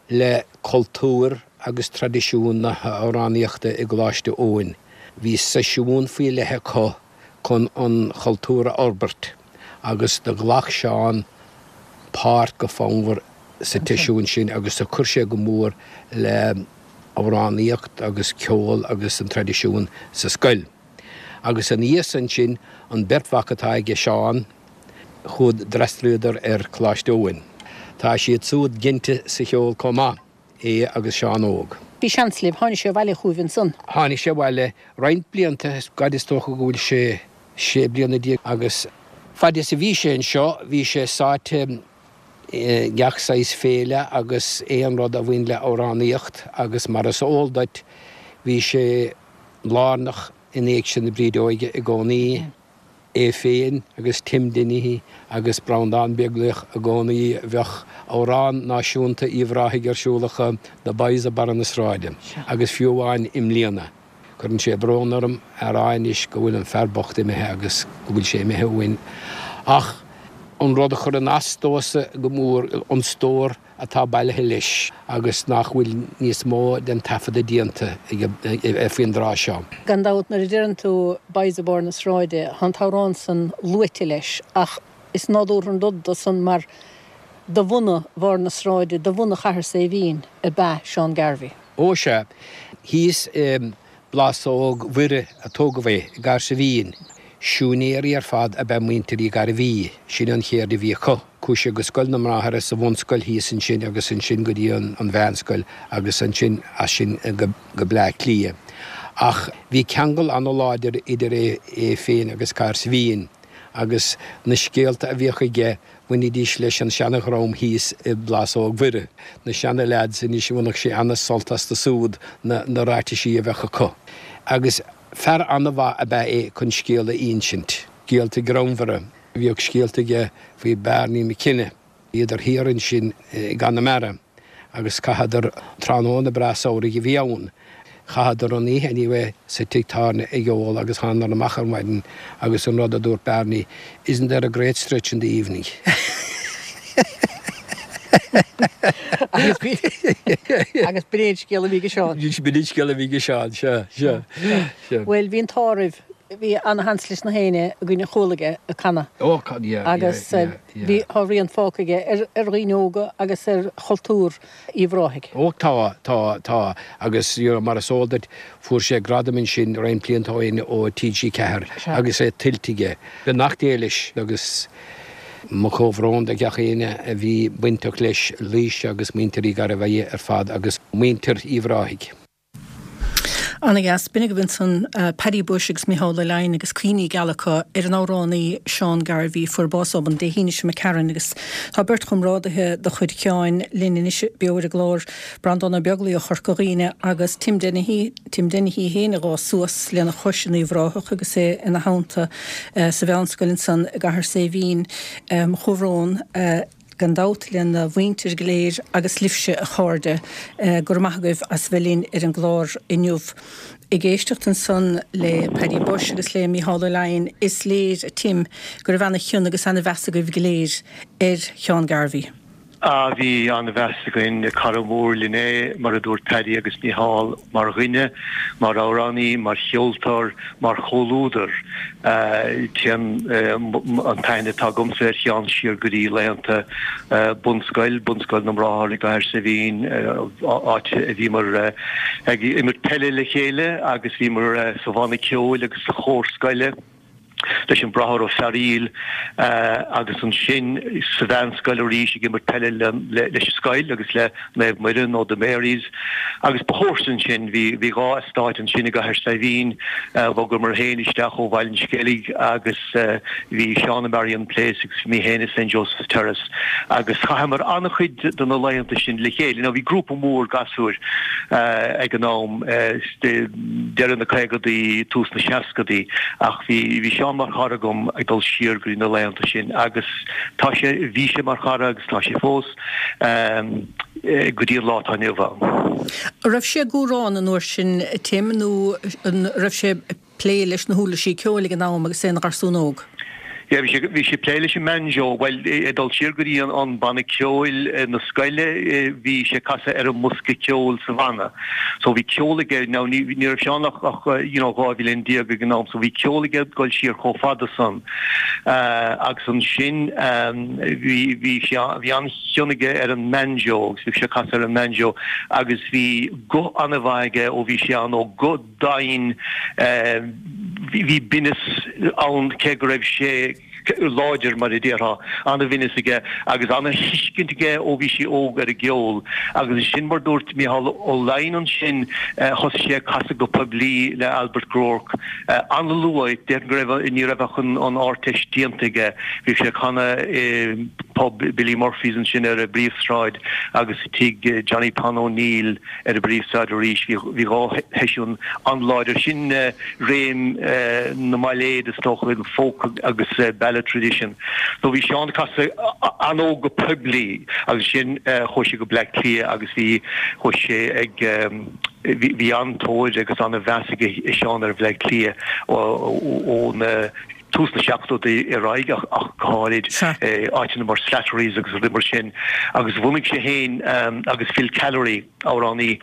le cultúr agus traidisiún na hamhránaíochta i gColáiste Eoin. Bhí seisiún faoi leith acu chun an chultúr a fhorbairt agus do ghlac Seán páirt go fonnmhar sa tseisiún sin agus do chuir sé go mór le amhránaíocht agus ceol agus an traidisiún sa scoil. Agus aníos ansin an bheirt mhac atá aige Seán, chuad d'fhreastalaíodar ar Choláiste Eoin. Tá siad súd ginte sa cheol chomh maith, é agus Seán Óg. Bhí seans libh, tháinig sé abhaile chugaibh ansan. Tháinig sé abhaile roinnt blianta, gad is dócha go bhfuil sé sé bliana déag agus fad is a bhí sé anseo bhí sé sáite i ngach saghas féile agus aon rud a bhain le amhránaíocht agus mar is eol duit bhí sé lárnach in Éigse na Brídeoige i gcónaí. É féin agus Tim Dennehy agus Breandán Beaglaoich i gcónaí bheadh amhrán náisiúnta Uíbh Ráthaigh ar siúl acu, The Boys of Barra na Sráide, agus fiú amháin i mbliana. Cuireann sé brón orm a rá anois go bhfuil an fear bocht imithe agus go bhfuil sé imithe uainn. Ach an rud a chuireann as domhsa go mór, an stór atá bailithe leis agus nach bhfuil níos mó den taifeadadh déanta faoin dtráth seo. Gan dabht, nuair a deireann tú Boys of Barr na Sráide, tá an t-amhrán san luaite leis ach is nádúrtha an rud dó san mar de bhunadh Bharr na Sráide, de bhunadh Chathair Saidhbhín ab ea Seán Garvey. Ó sea, thíos i bPlásóg Mhuire a tógadh é, i gCathair Saidhbhín. Siúinéirí ar fad ab ea muintir Uí Ghairbhí, sin an cheird a bhí acu. Chuaigh sé go Scoil na mBráithre sa bhunscoil thíos ansin agus ansin go dtí an mheánscoil agus ansin as sin go Bleá Cliath. Ach bhí ceangal ana-láidir idir é féin agus Cathair Saidhbhín agus na scéalta a bhíodh aige bhainidís leis an seana-dhream thíos i bPlásóg Mhuire, na seana-leaids anois, bhainfeadh sé ana-sult astu súd na ráitisí a bheadh acu. Agus fear ana-mhaith ab ea é chun scéal a ínsint, scéalta greannmhara. Bhíodh scéalta aige faoi Barney McKenna. Bhíodar thiar ansin i gConamara agus chaitheadar, tráthnóna breá samhraidh a bhí ann, chaitheadar an oíche anyway sa tigh tábhairne ag ól agus thánadar amach ar maidin agus an rud a dúirt Barney, Isn't there a great stretch in the evening? Agus b'in é an scéal a bhí ag Seán. B'in é an scéal a bhí ag Seán, sea, sea, sea. Bhuel, bhí an t-ádh oraibh, bhí ana-sheans leis na héinne againn a chuala aige ag canadh. Ó, yeah, yeah, Agus yeah, yeah. bhí, tá rian fágtha aige ar, ar dhaoine óga agus ar chultúr Uíbh Ráthaigh. Ó, tá, tá, tá. Agus, you know, mar is eol duit, fuair sé gradam ansin roinnt blianta ó shin ó T G ceathair agus é tuillte aige. Beannacht Dé leis agus. Mo chomhbhrón do gach éinne a bhí bainteach leis, Laoise agus muintir Uí Ghairbhí ar fad agus muintir Uíbh Ráthaigh. Ana dheas. B'in agaibh ansan Paddy Bushe agus Micheál Ó Leidhin agus cuimhní geala acu ar an amhránaí Seán Garvey a fuair bás obann Dé hAoine seo imigh tharainn agus tá beirt chomrádaithe de chuid Sheáin linn anois beo ar an gclár, Breandán Ó Beaglaoich ó Chorca Dhuibhne agus Tim Dennehy, Tim Dennehy féin a d'fhás suas lena chois in Uíbh Ráthach agus é ina theannta sa mheánscoil ansan i gCathair Saidhbhín. Mo chomhbhrón gan dabht lena mhuintir go léir agus libhse a chairde. Go raibh maith agaibh as bheith linn ar an gclár inniu. Ag éisteacht ansan le Paddy Bushe agus le Mícheál Ó Leidhin is léir, a Tim, go raibh ana-chion agus ana-mheas agaibh go léir ar Sheán Garvey. Ah, bhí an-mheas againn, cara mór linn é, mar a dúirt Paddy agus Mícheál, mar dhuine, mar amhránaí, mar cheoltóir, mar chomhluadar. Téann an t-aithne atá agamsa ar Sheán siar go dtí laethanta bunscoil, Bunscoil na mBráthar i gCathair Saidhbhín, áit a bhíomar ag imirt peile le chéile agus bhíomar sa bhanna ceoil agus sa chór scoile. leis an Bráthair Ó Fearaíl agus ansin sa mheánscoil arís ag imirt peile leis an scoil agus le Naomh Muire nó The Marys agus ba chomharsa ansin. Bhí bhí dhá eastát ansin i gCathair Saidhbhín. Bhogamar féin isteach ó Bhaile an Sceilg agus bhí Seán i Marion Place agus bhí mé féin i Saint Joseph's Terrace agus chaitheamar an-chuid de na laethanta sin le chéile. Now bhí grúpa mór gasúir ag an am, deireadh na caogadaí, tús na seascadaí ach bhí bhí Seán mar chara agam ag dul siar go dtí na laethanta sin agus tá sé, bhí sé mar chara agus tá sé fós go dtí an lá atá inniu ann. An raibh sé ag amhrán an uair sin, Tim, nó an raibh sé ag plé leis na huirlisí ceoil ag an am agus é ina gharsún óg? Yeah, bhí sé bhí sé plé leis an mbanjo, well ag dul siar go dtí an an banna ceoil na scoile bhí sé casadh ar an mbosca ceoil sa bhanna. So bhí ceol aige now ní ní raibh Seán ach ach you know dhá bhliain déag ag an am so bhí ceol aige dul siar chomh fada san. Uh, agus ansin um, bhí bhí sé bhí an-chion aige ar an mbanjo agus bhí sé casadh ar an mbanjo agus bhí guth an-mhaith aige ó bhí sé an-óg guth doimhin uh, bhí binneas ann cé go raibh sé láidir mar a déarfá an-bhinneas aige agus an-thuiscint aige ó bhí sé óg ar an gceol agus sin mar dúirt Micheál Ó Laighin ansin thosaigh sé casadh go poiblí le Albert Groarke an-luath deir go raibh ní raibh ach an an Ardteist déanta aige bhí sé canadh i pub Billy Murphy's ansin ar an bPríomhshráid agus tigh Johnny Pon O'Neill ar an bPríomhshráid arís bhí dhá sheisiún an-láidir sin réim na mbailéad is dócha an folk agus ballad tradition. So bhí Seán casadh an-óg go poiblí agus sin chuaigh sé go Bleá Cliath agus bhí chuaigh sé ag bhí an-tóir agus an-mheas ag Seán ar Bhleá Cliath ó na tús na seachtóidí ar aghaidh ach go háirid áiteanna mar Slattery's agus rudaí mar sin agus bhunaigh sé féin agus Phil Callery amhránaí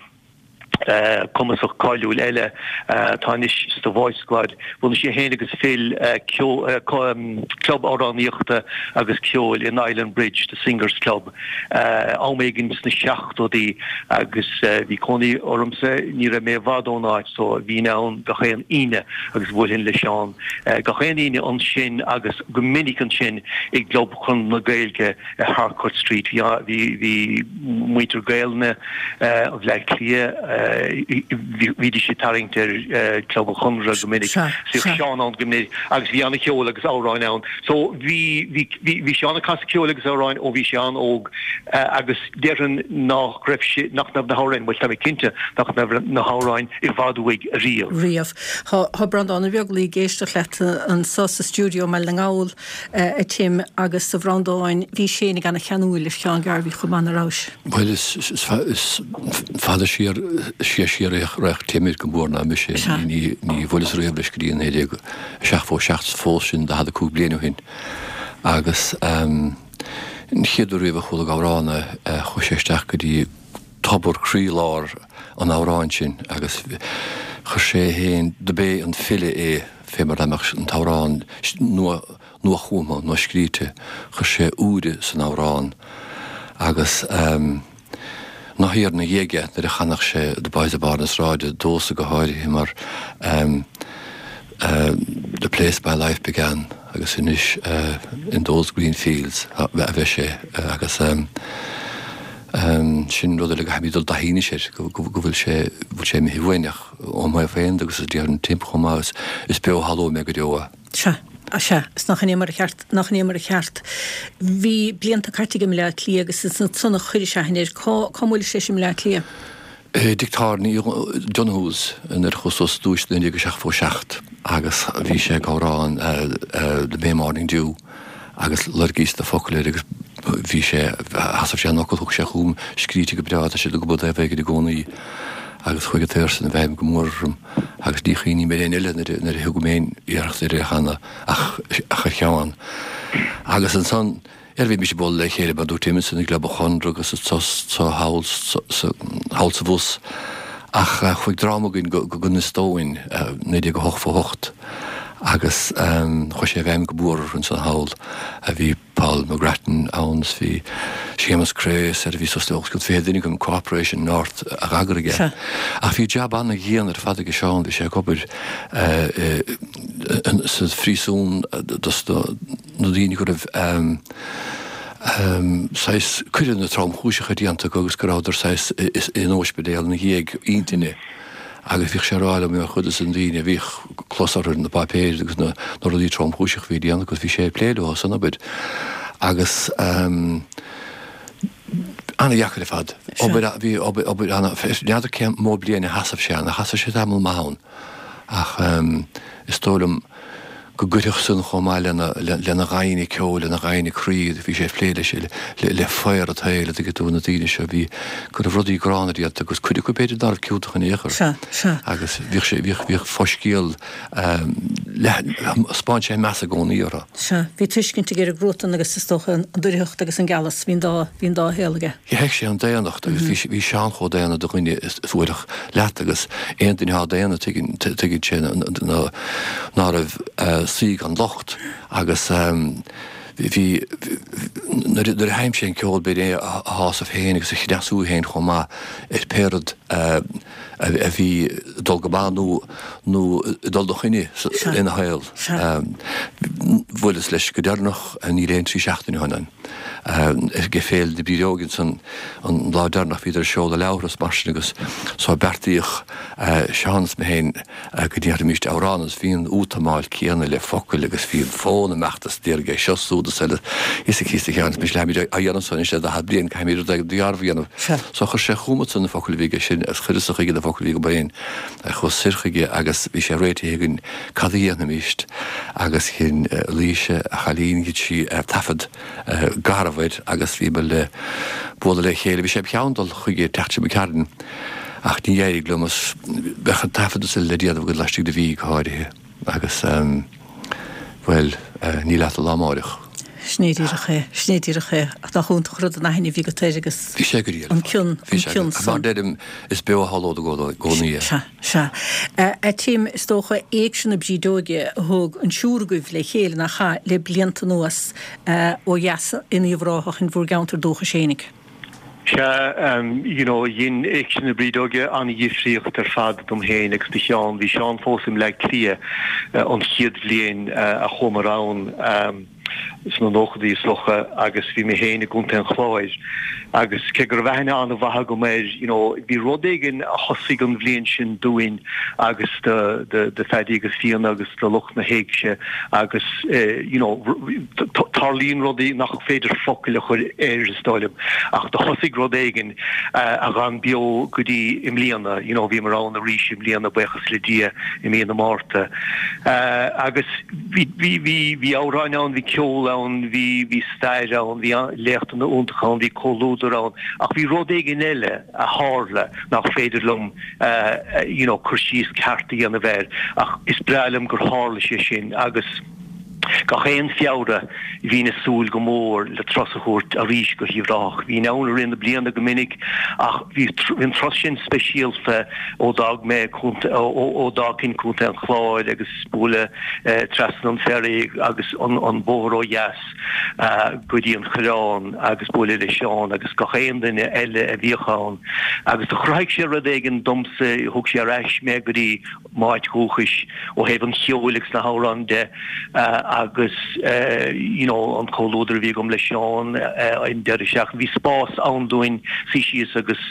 cumasach cáiliúil eile atá anois sa Voice Squad. Bhunaigh sé féin agus Phil club amhránaíochta agus ceoil in Island Bridge, the Singers Club, am éigin sna seachtóidí agus bhí cónaí ormsa ní raibh mé i bhfad ón áit so bhínn ann gach aon Aoine agus bhuailfinn le Seán gach aon Aoine ansin agus go minic ansin i gClub Chonradh na Gaeilge i Harcourt Street. Bhí bhí muintir Gaelainne Bhleá Cliath bhídís ag tarraingt ar Club an Chonradh go minic. Bhíodh Seán ann go minic agus bhí an-cheol agus amhráin ann. So bhí bhí Seán ag casadh ceoil agus amhráin ó bhí sé an-óg agus déarfainn nach raibh sé nach raibh na hamhráin, bhuel tá mé cinnte nach raibh na hamhráin i bhfad uaidh riamh. Riamh. Tá Breandán Ó Beaglaoi ag éisteacht leat anso sa stiúideo i mBaile na nGall a Tim agus a Bhreandáin bhís féinig ana-cheanúil ar Sheán Garvey chomh maith nach rabhais. Bhuel is is fada siar siar siar raibh Tim go mór ná mise ní ní bhuaileas riamh leis go dtí naoi déag seachtó seacht fós sin daichead a cúig bliain ó shin agus an chéad uair riamh a chuala ag amhrán é chuaigh sé isteach go dtí tobar croílár an amhráin sin agus chuir sé féin do b'é an file é fé mar dá mbeadh an t-amhrán nua nuachumtha nó scríte chuir sé úire san amhrán agus ná thiar ina dhiaidh nuair a chanadh sé The Boys of Barr na Sráide domhsa go háirithe mar The Place My Life Began agus anois In Those Green Fields a bheidh sé agus sin rud eile go gcaithfimid dul i dtaithí anois air go bhfuil sé bhfuil sé imithe uainn ach óm thaobh féin agus déarfainn Tim chomh maith is beo thall uaim é go deo é. Sea. Sea, is nach in é mar a cheart, nach in é mar a cheart. Bhí blianta caite aige i mBleá Cliath agus is ansan a chuiris aithne air. Cá, cá mbuailis leis i mBleá Cliath? I dtigh tábhairne Donoghue's nuair a chuas suas ar dtúis naoi déag a seachtó seacht agus bhí sé ag amhrán The May Morning Dew agus loirgíos na focail air agus bhí sé, sheasaimh sé an fhocal, thug sé chugam, scríte go breá, tá siad ag obair taobh éigin i gcónaí agus chuaigh an t-aor san i bhfeidhm go mór orm agus ní chuimhním ar aon eile nuair a thug mé aon iarracht ar é a chanadh ach ach ar Sheán. Agus ansan, ar bhí mise ag bualadh le chéile mar dúirt Tim san i gClub an Chonradh agus sa sa thall sa thall sa bhus ach chuaigh dream againn go go Inis Dóin naoi déag a hocht a hocht agus chuaigh sé i bhfeidhm go mór ansan thall a bhí Paul McGrattan ann is bhí Séamus Craos ar a bhí suas le os cionn fiche duine den Corporation North a dh'eagraigh é. Ach bhí jab ana-dhian ar fad aige Seán, bhí sé ag obair sa phríosún dos na daoine go raibh saghas coireanna tromchúiseacha déanta acu agus go rabhadar saghas in ospidéal ina dhiaidh intinne. Agus bhíodh sé ag rá liom ar chuid de na daoine a bhíodh clos orthu ar na páipéir agus na rudaí tromchúiseacha a bhí déanta acu, bhí sé ag plé leo san obair. Agus ana-dheacair ar fad. Obair, bhí obair, obair ana, n'fheadar cé mó bliain a sheasaimh sé ann, ach sheasaimh sé tamall maith ann. Ach is dóigh liom go gcuirfeadh san chomh maith lena lena ghaibhne ceoil, lena ghaibhne croí, bhí sé ag plé leis le le faobhar an tsaoil, a dtuigeann tú, na daoine seo a bhí, go raibh rudaí gránna déanta agus cuid acu b'fhéidir ná raibh ciontach in aon chor. Sea, sea. Agus bhíodh sé, bhíodh, bhíodh foscéal, 'spáin sé meas i gcónaí orthu. Sea, bhí tuiscint aige ar an gcruatan agus is dócha an doircheacht agus an gealas, bhí an dá, bhí an dá shaol aige. Thuig sé an daonnacht agus bhí, bhí Seán chomh daonna do dhuine is a bhuailfeadh leat agus aon duine atá daonna tuigeann, tuigeann sé ná raibh saoi gan locht agus bhí, nuair a sheinn sé an ceol b'fhéidir é a shásamh féin agus a chneasú féin chomh maith ar pé rud a bhí ag dul go maith nó nó ag dul 'na choinne ina shaol. Bhuaileas leis go deireanach, níl aon trí seachtaine ó shin, ag Féile na Brídeoige ansan an lá deireanach bhíodar ag seoladh leabhar is mar sin agus so beartaíodh Seán is mé féin go ndéarfaimíst amhrán agus bhí an útamáil céanna le focail agus bhí an fonn imeacht is d'iarraidh é seo súd is eile is a chíos a Sheáin is mise leathmíd á dhéanamh so anois le daichead bliain caithfimid rud éigin dearbh a dhéanamh. So chuir sé chugamsa na focail a bhí aige sin agus chuireas-sa chuige na focail a bhí agam féin chuas soir chuige agus bhí sé réitithe againn cad a dhéanfaimíst agus dhein Laoise a chailín dhein sí taifead garbh air agus bhíomar le bualadh le chéile. Bhí sé im cheann dul chuige an tseachtain seo imigh tharainn ach ní éirigh liom is bheadh an taifead is uile le déanamh agad laistigh de mhí go háirithe agus bhuel níl a't an lá amáireach. Sin é díreach é, sin é díreach é. Ach nach iontach an rud an aithne a bhí agat air agus Bhí sé go diail an cion, Bhí an sé cion go, mar san. deirim, is beo a shamhlód i gcónaí é. Sea, sea. A Tim, is dócha Éigse na Brídeoige a thug an triúr agaibh le chéile, nach ea, le blianta anuas ó dheas in Uíbh Ráthach in bhur gceantar dúchais fhéinig. Sea, you know, dhein Éigse na Brídeoige an-dhifríocht ar fad dom féin agus do Sheán. Bhí Seán fós i mBleá Cliath an chéad bhliain a chuamar ann sna nóchadaí is dócha agus bhí mé féin i gContae an Chláir agus cé go raibh aithne an-mhaith agam air, you know, bhí rud éigin a thosaigh an bhliain sin dúinn agus do, do, do Phaddy agus Fíona agus do lucht na hÉigse agus you know, tarlaíonn rudaí nach féidir focail a chur air is dóigh liom ach do thosaigh rud éigin a dh'fhan beo go dtí i mbliana, you know, bhíomar ann arís i mbliana buíochas le Dia i mí na Márta agus bhí bhí bhí bhí amhráin ann, bhí ceol ann, bhí bhí stair ann, bhí léachtanna iontacha ann, bhí comhluadar ann ach bhí rud éigin eile a tharla nach féidir liom you know cur síos ceart a dhéanamh air ach is breá liom gur tharla sé sin agus gach aon Feabhra bhínn ag súil go mór le turas a thabhairt arís go hUíbh Ráthach. Bhínn ann i rith na bliana go minic ach bhí an turas sin speisialta ó d'fhág mé ó d'fhágfainn Contae an Chláir agus bualadh trasna an ferry agus an bóthar ó dheas go dtí an Coireán agus bualadh le Seán agus gach aon duine eile a bhíodh ann agus do chruthaigh sé rud éigin domsa, thug sé ar ais mé go dtí m'áit dhúchais ó thaobh an cheoil agus na hamhráin de agus you know an comhluadar a bhí agam le Seán an deireadh seachtaine. Bhí spás ann dúinn suí síos agus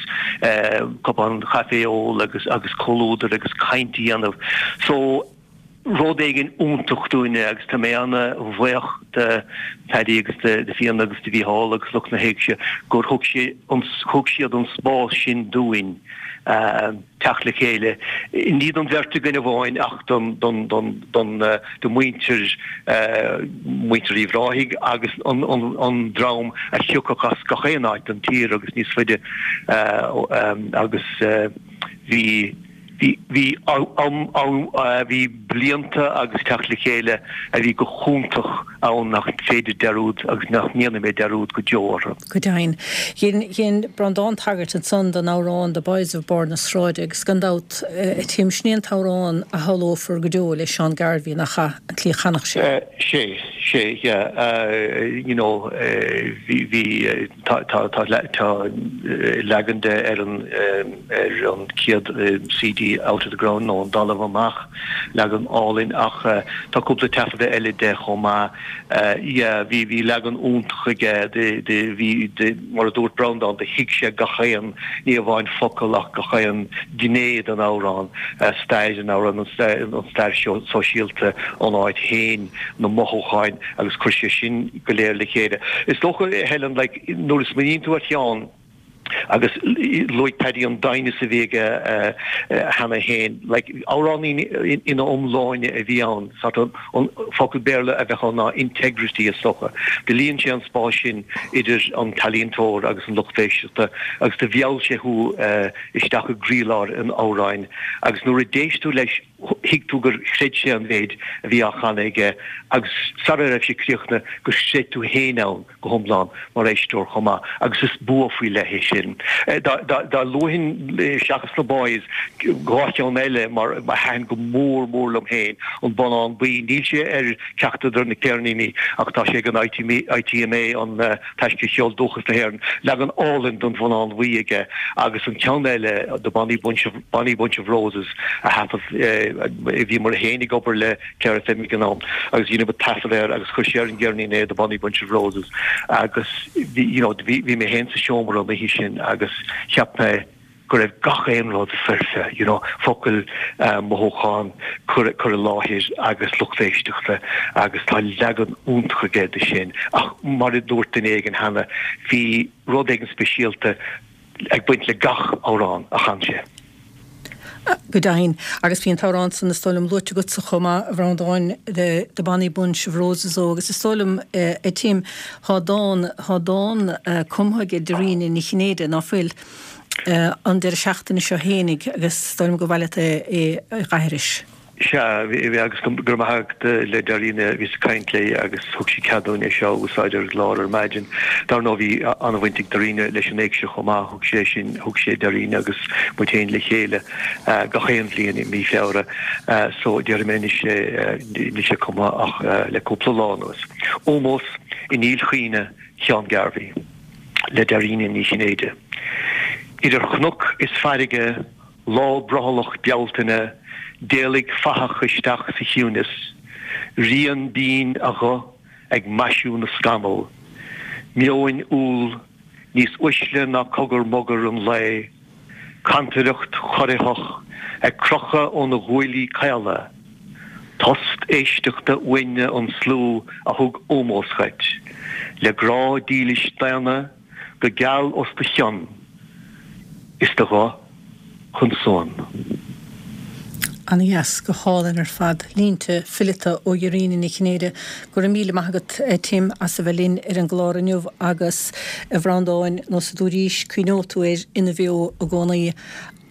cupán caife a ól agus agus comhluadar agus caint a dhéanamh. So rud éigin iontach dúinne agus tá mé ana-bhuíoch de Phaddy agus de Fíona agus de Mhícheál agus lucht na hÉigse gur thug sé thug siad an spás sin dúinn teacht le chéile, ní don bheirt againn amháin ach don don don don do mhuintir muintir Uíbh Ráthaigh agus an an an dream a thiocfadh as gach aon áit den tír agus níos faide agus bhí Bhí, bhí am, am, bhí blianta agus teacht le chéile a bhí go hiontach ann nach féidir dearúd agus nach ndéanfaidh mé dearúd go deo orthu. Go deimhin. Dhein, dhein Breandán tagairt ansan don amhrán The Boys of Bord na Sráide agus gan dabht, a Tim, sin é an t-amhrán a shamhlófar go deo le Seán Garvey, nach ea, an tslí a chanfadh sé. Sé, sé, yeah, you know, bhí, bhí, tá, tá, tá, tá leagan de ar an, ar an chéad CD Out of the Ground nó Ón dTalamh Amach, leagan álainn ach tá cúpla taifeadadh eile de chomh maith. Yeah, bhí bhí leagan iontach aige de de bhí de mar a dúirt Breandán do thuig sé gach aon ní amháin focal ach gach aon gné den amhrán, stair an amhráin, an stair an stair sóisialta, an áit féin, na mothúcháin agus chuir sé sin go léir le chéile. Is dócha, Helen, like nuair a smaoiníonn tú ar Sheán, Agus luaigh Paddy an doimhneas a bhí aige cheana féin, like, amhránaí ina iomláine a bhí ann, sort of, an focal Béarla a bheadh ann ná integrity is dócha. Do líon sé an spás sin idir an t-ealaíontóir agus an lucht éisteachta agus do mheall sé thú isteach i gcroílár an amhráin agus nuair a d'éist tú leis thuig tú gur chreid sé an mhéid a bhí á chanadh aige agus sara raibh sé críochnaithe gur chreid tú féin ann go hiomlán mar éisteoir chomh maith agus is bua faoi leith é sin. Dá luafainn seachas na Boys dhá cheann eile mar a thaitin go mór mór liom féin, An Bonnán Buí, níl sé ar ceachtar de na ceirníní ach tá sé ag an ITMA, an Taisce Cheol Dúchas na hÉireann, leagan álainn den Bhonnán Bhuí aige agus an ceann eile The Bonny Bunch of Bonny Bunch of Roses a thaifead bhíomar féin ag obair le Clare FM ag an am agus dheineamar taifead air agus chuir sé ar an gceirnín é The Bonny Bunch of Roses agus bhí you know bhí bhí mé féin sa seomra an oíche sin agus cheap mé go raibh gach aon rud foirfe you know focail mothúchán cur cur i láthair agus lucht éisteachta agus tá leagan iontach aige de sin ach mar a dúirt duine éigin cheana bhí rud éigin speisialta ag baint le gach amhrán a chan sé. Go deimhin. Agus bhí an t-amhrán san, is dóigh liom, luaite agatsa chomh maith, a Bhreandáin, The, the Bonny Bunch of Roses ó, agus is dóigh liom, a Tim, thá dán, thá dán cumtha aige Dairena Ní Chinnéide, ná fuil, an deireadh seachtaine seo fhéinig, agus is dóigh liom gur mhaith leat é a dh'aithris. Sea, bhí, agus go raibh maith agat le Dairena, bhíos ag caint léi agus thug sí cead dúinn é seo a úsáid ar an gclár ar maidin. Dar ndóigh bhí an-bhaint ag Dairena leis an éigse chomh maith, thug sé sin, thug sé Dairena agus muid féin le chéile gach aon bhliain i mí Feabhra so déarfaidh mé anois é, níl sé cumtha ach le cúpla lá anuas. Ómós i ndílchuimhne Sheán Garvey le Dairena Ní Chinnéide. Idir chnoc is farraige Lá brothallach Bealtaine, d'éalaigh fathach isteach sa chiúnas, rian binn a ghuth ag maisiú na scamall. Meoin umhal, níos uaisle ná cogar mogar an lae, cantaireacht chorraitheach ag crochadh óna ghuaillí caola. Tost éisteachta uainne an slua a thug ómós dhuit, le grá dílis daonna go geal os do chionn is do ghuth chun suain. Ana-dheas, go hálainn ar fad. Línte fileata ó Dhairena Ní Chinnéide. Go raibh míle maith agat, Tim, as a bheith linn ar an gclár inniu agus, a Bhreandáin, nós a dúraís, cuimhneoidh tú air ina bheo i gcónaí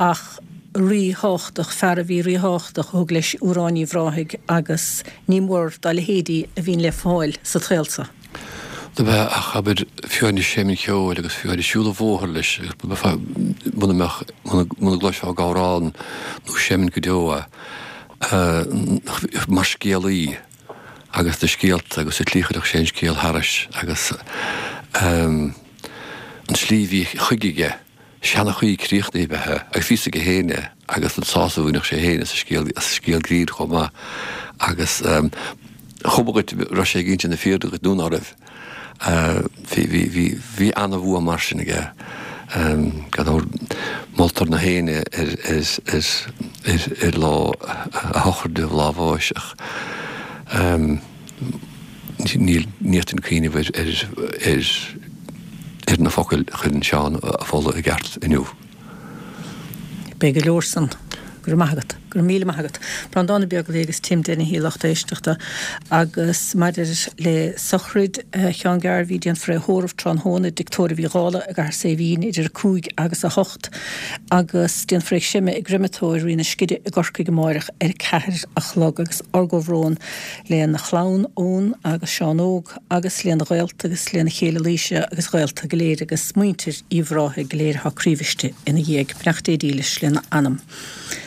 ach ríthábhachtach, fear a bhí ríthábhachtach a thug leis Amhráin Uíbh Ráthaigh agus ní mór dá leithéidí a bhíonn le fáil sa tsaol so. Do bheith ach, abair, fiú ag seinm cheoil agus fiú ag siúl an bhóthair leis agus muna mbeadh, muna gcloisfeá ag amhrán nó seinm go deo é, mar scéalaí agus na scéalta agus an tslí a chuirfeadh sé an scéal thairis agus an tslí a bhí chuige aige. Seanchaí críochnaithe ab ea é agus bhí fhios aige féin é agus an sásamh a bhainfeadh sé féin as an scéal, as an scéal grinn chomh maith agus chuma dhuit raibh sé ag inse na fírinne dhuit nó ná raibh. Bhí, bhí, bhí, bhí ana-bhua mar sin aige. Gan dabht moltar na héinne ar, ar, ar, ar, ar lá a shochraide, lá a bháis ach Níl, ní fhéadfainn cuimhneamh ar, ar, ar, ar na focail a chuireann Seán a mholadh i gceart inniu. Beidh go leor san. Go raibh maith agat. Go raibh míle maith agat. Breandán Ó Beaglaoich agus Tim Dennehy, lucht éisteachta. Agus maidir le sochraid Sheáin Garvey, déanfar é a thórramh tráthnóna i dTigh Tórraimh Uí Dhálaigh i gCathair Saidhbhín idir a cúig agus a hocht agus déanfar é a chreimeadh i gcreimeatóir Rí na Sceirí i gCorcaigh amáireach ar a ceathair a chlog agus ár gcomhbhrón lena chlann, Eoin agus Seán Óg, agus lena ghaolta agus lena chéile Laoise agus gaolta go léir agus muintir Uíbh Ráthaigh go léir atá croíbhriste ina dhiaidh. Beannacht Dé dílis lena anam.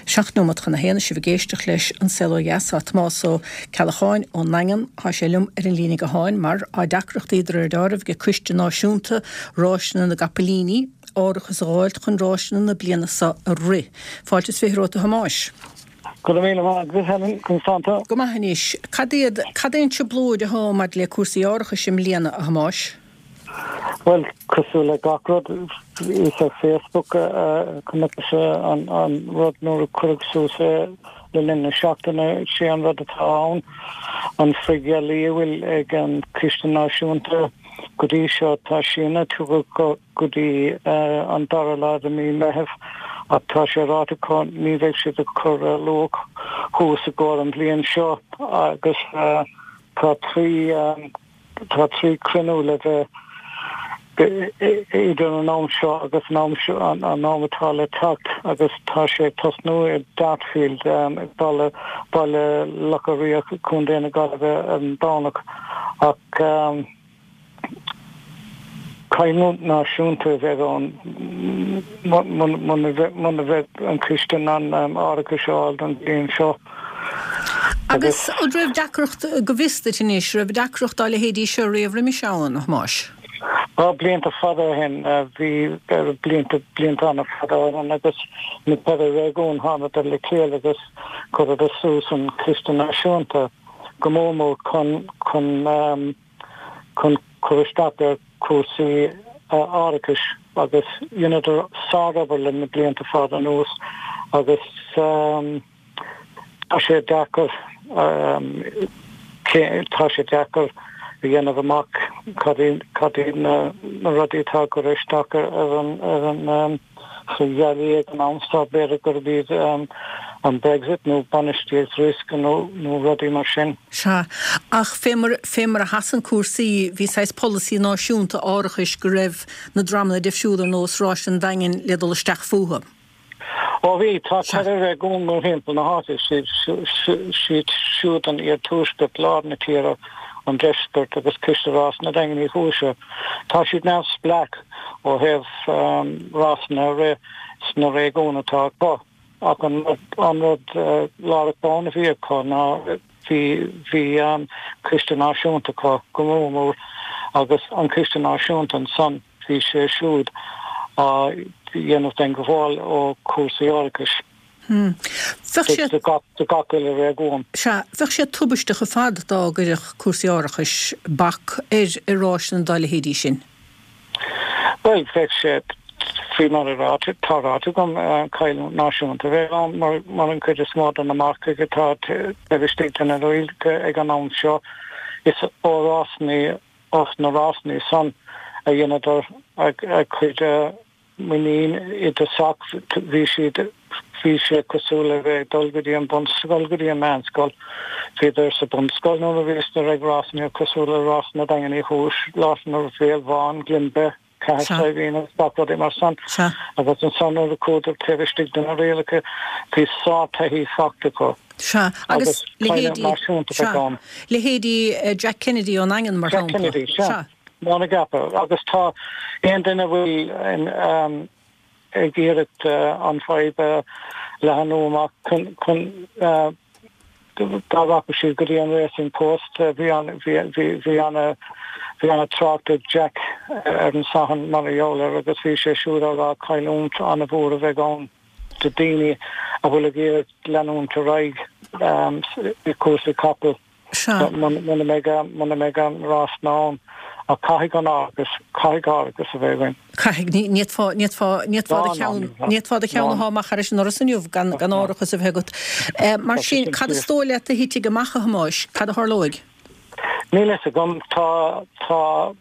Seacht nóimeat chun a haon is sibh ag éisteacht leis An Saol Ó Dheas. Tá Tomás Ó Ceallacháin ón nDaingean, tá sé liom ar an líne gutháin mar tá deacrachtaí de réir dealraimh ag Coiste Náisiúnta Ráiseanna na gCapaillíní árachas a dh'fháilt chun ráiseanna na bliana seo a rith. Fáilte is fiche romhat a Thomáis. Go raibh míle maith agat, Helen, conas tánn tú? Go maith anois. Cad iad, cad é an trioblóid athá maidir le cúrsaí árachais i mbliana, a Thomáis? Bhuel, cosúil le gach rud, is ar Facebook a chonaic mise an rud nuair a cuireadh suas é le linn na seachtaine. Sé an rud atá ann, an frithgheallaí a bhfuil ag an Chiste Náisiúnta, Go dtí seo tá síneadh tugtha acu go dtí an dara lá de mí Meitheamh ach tá sé ráite acu ní bheidh siad ag cur luach thuas i gcomhair an bhliain seo agus tá trí tá trí cruinniú le bheith idir an am seo agus an am seo an am atá le teacht agus tá sé ag tosnú i Dartfield i baile Baile Locha Riach, Contae na Gaillimhe ar an Domhnach ach cailliúint náisiúnta a bheidh ann muna mbeidh an coiste in ann árachas a fháil don bhliain seo. Agus an raibh deacracht, go bhfios duit anois, raibh deacracht dá leithéidí seo riamh roimis ann, a Thomáis? Á, blianta fada ó shin, bhí, blianta, blianta an-fhada ó shin agus na ceithre réigiún, thánadar le chéile agus chuireadar suas an Coiste Náisiúnta go mór mór chun, chun, chun cur isteach ar chúrsaí árachais agus dheineadar sárobair le na blianta fada anuas agus tá sé deacair, tá sé deacair a dhéanamh amach cad iad na rudaí atá ag cur isteach ar an ar an faoi ghealaí ag an am seo, b'fhéidir gurb iad an Brexit nó bainistíocht riosca nó nó rudaí mar sin. Sea, ach fé mar fé mar a sheasann cúrsaí, bhí saghas polasaí náisiúnta árachais go raibh na dreamanna difriúla ar nós Ráis an Daingin le dul isteach fúthu. Ó bhí, tá ceithre réigiún mórthimpeall na háite, siad siúd an Iarthuaisceart, Lár na Tíre, an Deisceart agus Coiste Rásanna Daingean Uí Chúise. Tá siad neamhspleách ó thaobh rásanna a rith sna réigiúin atá acu ach an rud lárach ann a bhí acu ná bhí bhí Coiste Náisiúnta acu go mór mór agus an Coiste Náisiúnta ansan bhí sé siúd á dhéanamh den ghabháil ó chúrsaí árachais. Bheadh sé. Do gach uile réigiún. Sea, bheadh sé tubaisteach ar fad dá gcuirfeadh cúrsaí árachais bac ar ar ráiseanna dá leithéidí sin. Bhuel, bheadh sé, faoi mar a ráite, tá ráite agam, cailliúint náisiúnta a bheadh ann mar mar an chuid is mó de na marcaigh atá taobh istigh de na rialacha ag an am seo, is ó rásanna, os na rásanna san a dheineadar a gcuid muinín i dtosach. Bhí siad, bhí sé cosúil le bheith ag dul go dtí an bunscoil, go dtí an meánscoil. Bhíodar sa bunscoil nuair a bhíodar ag rásanna cosúil le Rásanna Daingean Uí Chúis, Rásanna Bhéal Bhán, Glenbeigh, Cathair Saidhbhín agus gach rudaí mar san. Agus ansan nuair a chuadar taobh istigh de na rialacha bhí sár-taithí fachta acu. Sea, agus leithéidí, sea, leithéidí Jack Kennedy ón nDaingean mar Jack shampla. Kennedy, sea. Sea. Mar a gceapfá. Agus tá aon duine a bhfuil ag iarraidh an fadhb a leathnú amach chun chun dá rachadh siad go dtí an Racing Post bhí an bhí bhí bhí ana bhí ana trácht ag Jack ar an Satharn mar a gheall air agus bhí sé siúd á rá cailliúint ana-mhór a bheidh ann do daoine a bhfuil ag iarraidh leanúint ar aghaidh i cúrsaí capall. Sea. Muna mbeidh, muna mbeidh an rásanna ann. Ach caithfidh an árachas, caithfidh árachas a bheith againn. Caithfidh. Ní, ní fhéadfá, ní fhéadfá, ní fhéadfá do cheann, ní fhéadfá do cheann a shá amach thairis an ndoras inniu gan, gan árachas a bheith agat. Mar sin, cad is dóigh leat a thitfidh amach, a Thomáis? Cad a tharlóidh? Níl a fhios agam. Tá, tá.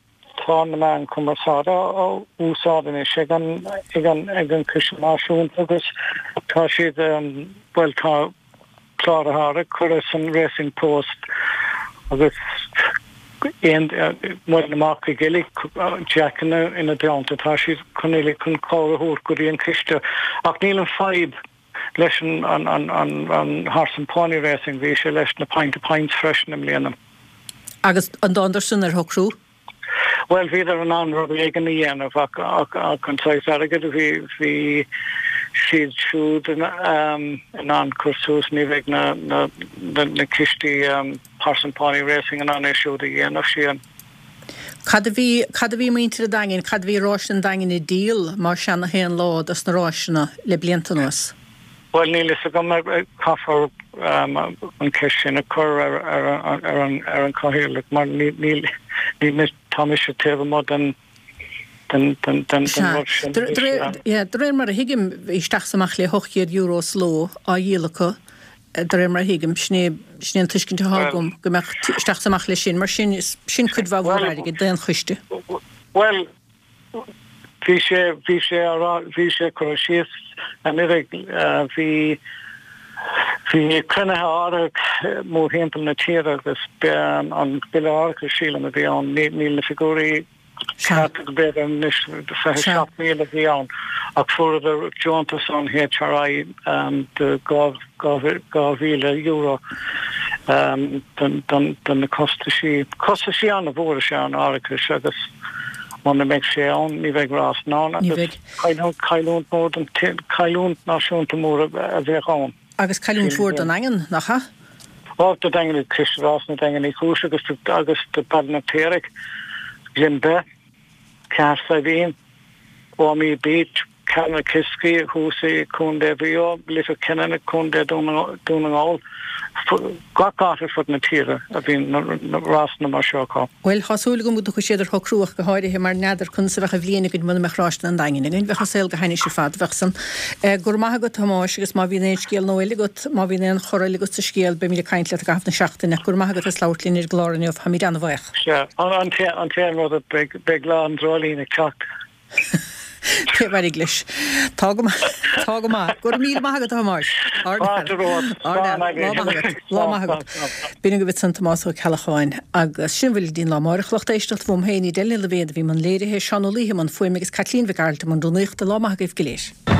Tá na meáin chumarsáide á úsáid anois ag an ag an ag an Coiste Náisiúnta agus tá siad bhuel tá Clár O'Hara curtha san Racing Post agus aon bhuel na marcaigh uilig Jack ina ina dteannta tá siad chun uilig chun cabhair a thabhairt go dtí an coiste ach níl an fadhb leis an an an an an Horse and Pony Racing bhí sé leis na Pint of Pints freisin i mbliana. Agus an dtánadar san ar shocrú? Bhuel, bhíodar in ann rud éigin a dhéanamh ach ach an saghas airgid a bhí bhí siad siúd in ann cur suas, ní bheidh na na na cistí Horse and Pony Racing in ann é siúd a dhéanamh, sílim. Cad a bhí cad a bhí muintir an Daingin, cad a bhí Ráis an Daingin ag díol mar sea na haon lá dos na ráiseanna le blianta anuas? Bhuel, níl fhios agam, caithfear an cheist sin a chur ar an chathaoirleach mar níl, tá mise taobh amuigh den rud sin. De réir mar a thuigim, bhí isteach is amach le hocht gcéad euro sa ló á dhíol acu de réir mar a thuigim, sin é, sin é an tuiscint atá agam, go mbeadh isteach is amach leis sin, mar sin, sin cuid mhaith mhór airgid d'aon choiste. Bhuel, bhí sé, bhí sé á rá, bhí sé curtha síos anuraidh, bhí, bhí cruinnithe áirithe mórthimpeall na tíre agus an bille árachais, sílim, a bhí ann, níl na figiúirí ceart b'fhéidir anois, fiche seacht míle a bhí ann ach fuaireadar deontas ón HRI de dhá mhíle euro do na costaisí. Costaisí an-mhór is ea an árachas agus muna mbeidh sé ann ní bheidh rás ann agus cailliúint mór don cailliúint náisiúnta mór a bheadh ann. Agus cailliúint mhór don Daingean, nach ea? Ó, do Daingean, Coiste Rás na Daingean Uí Chúis agus agus do Baile na Piaraigh, Glenbeigh, Cathair Saidhbhín, Omey Beach, Carnakiskey thuas i Contae Mhaigh Eo, Leitir Ceanainn i Contae Dún na nGall, gach áit ar fud na tíre a bhíonn na rásanna mar seo acu. Bhuel, tá súil agam go dtiocfaidh siad ar shocrú ach go háirithe mar n'fheadar conas a bheadh an bhliain againn muna mbeadh ráiseanna an Daingin againn. Bheadh an saol go hainnis ar fad, bheadh san. Go raibh maith agat, a Thomáis, agus má bhíonn aon scéal nua eile agat, má bhíonn aon chor eile agat sa scéal, beimid ag caint leat i gcaitheamh na seachtaine. Go raibh maith agat as labhairt linn ar an gclár inniu. Táimid an-bhuíoch. Sea, an t-aon rud, beidh lá an dreoilín ag teacht. Pé mhairg leis. Tá go maith. Tá go maith. Go raibh míle maith agat, a Thomáis. Fáilte romhat. Lá maith agat. Lá maith agat. B'in agaibh ansan Tomás Ó Ceallacháin. Agus sin a bhfuil go dtí an lá amárach. Lucht éisteachta uaim féin, Edel Ní Loibhéad a bhí i mbun léirithe, Seán Ó Laoithe i mbun fuaime agus Caitlín Mhic Gearailt i mbun rúnaíochta. Lá maith agaibh go léir.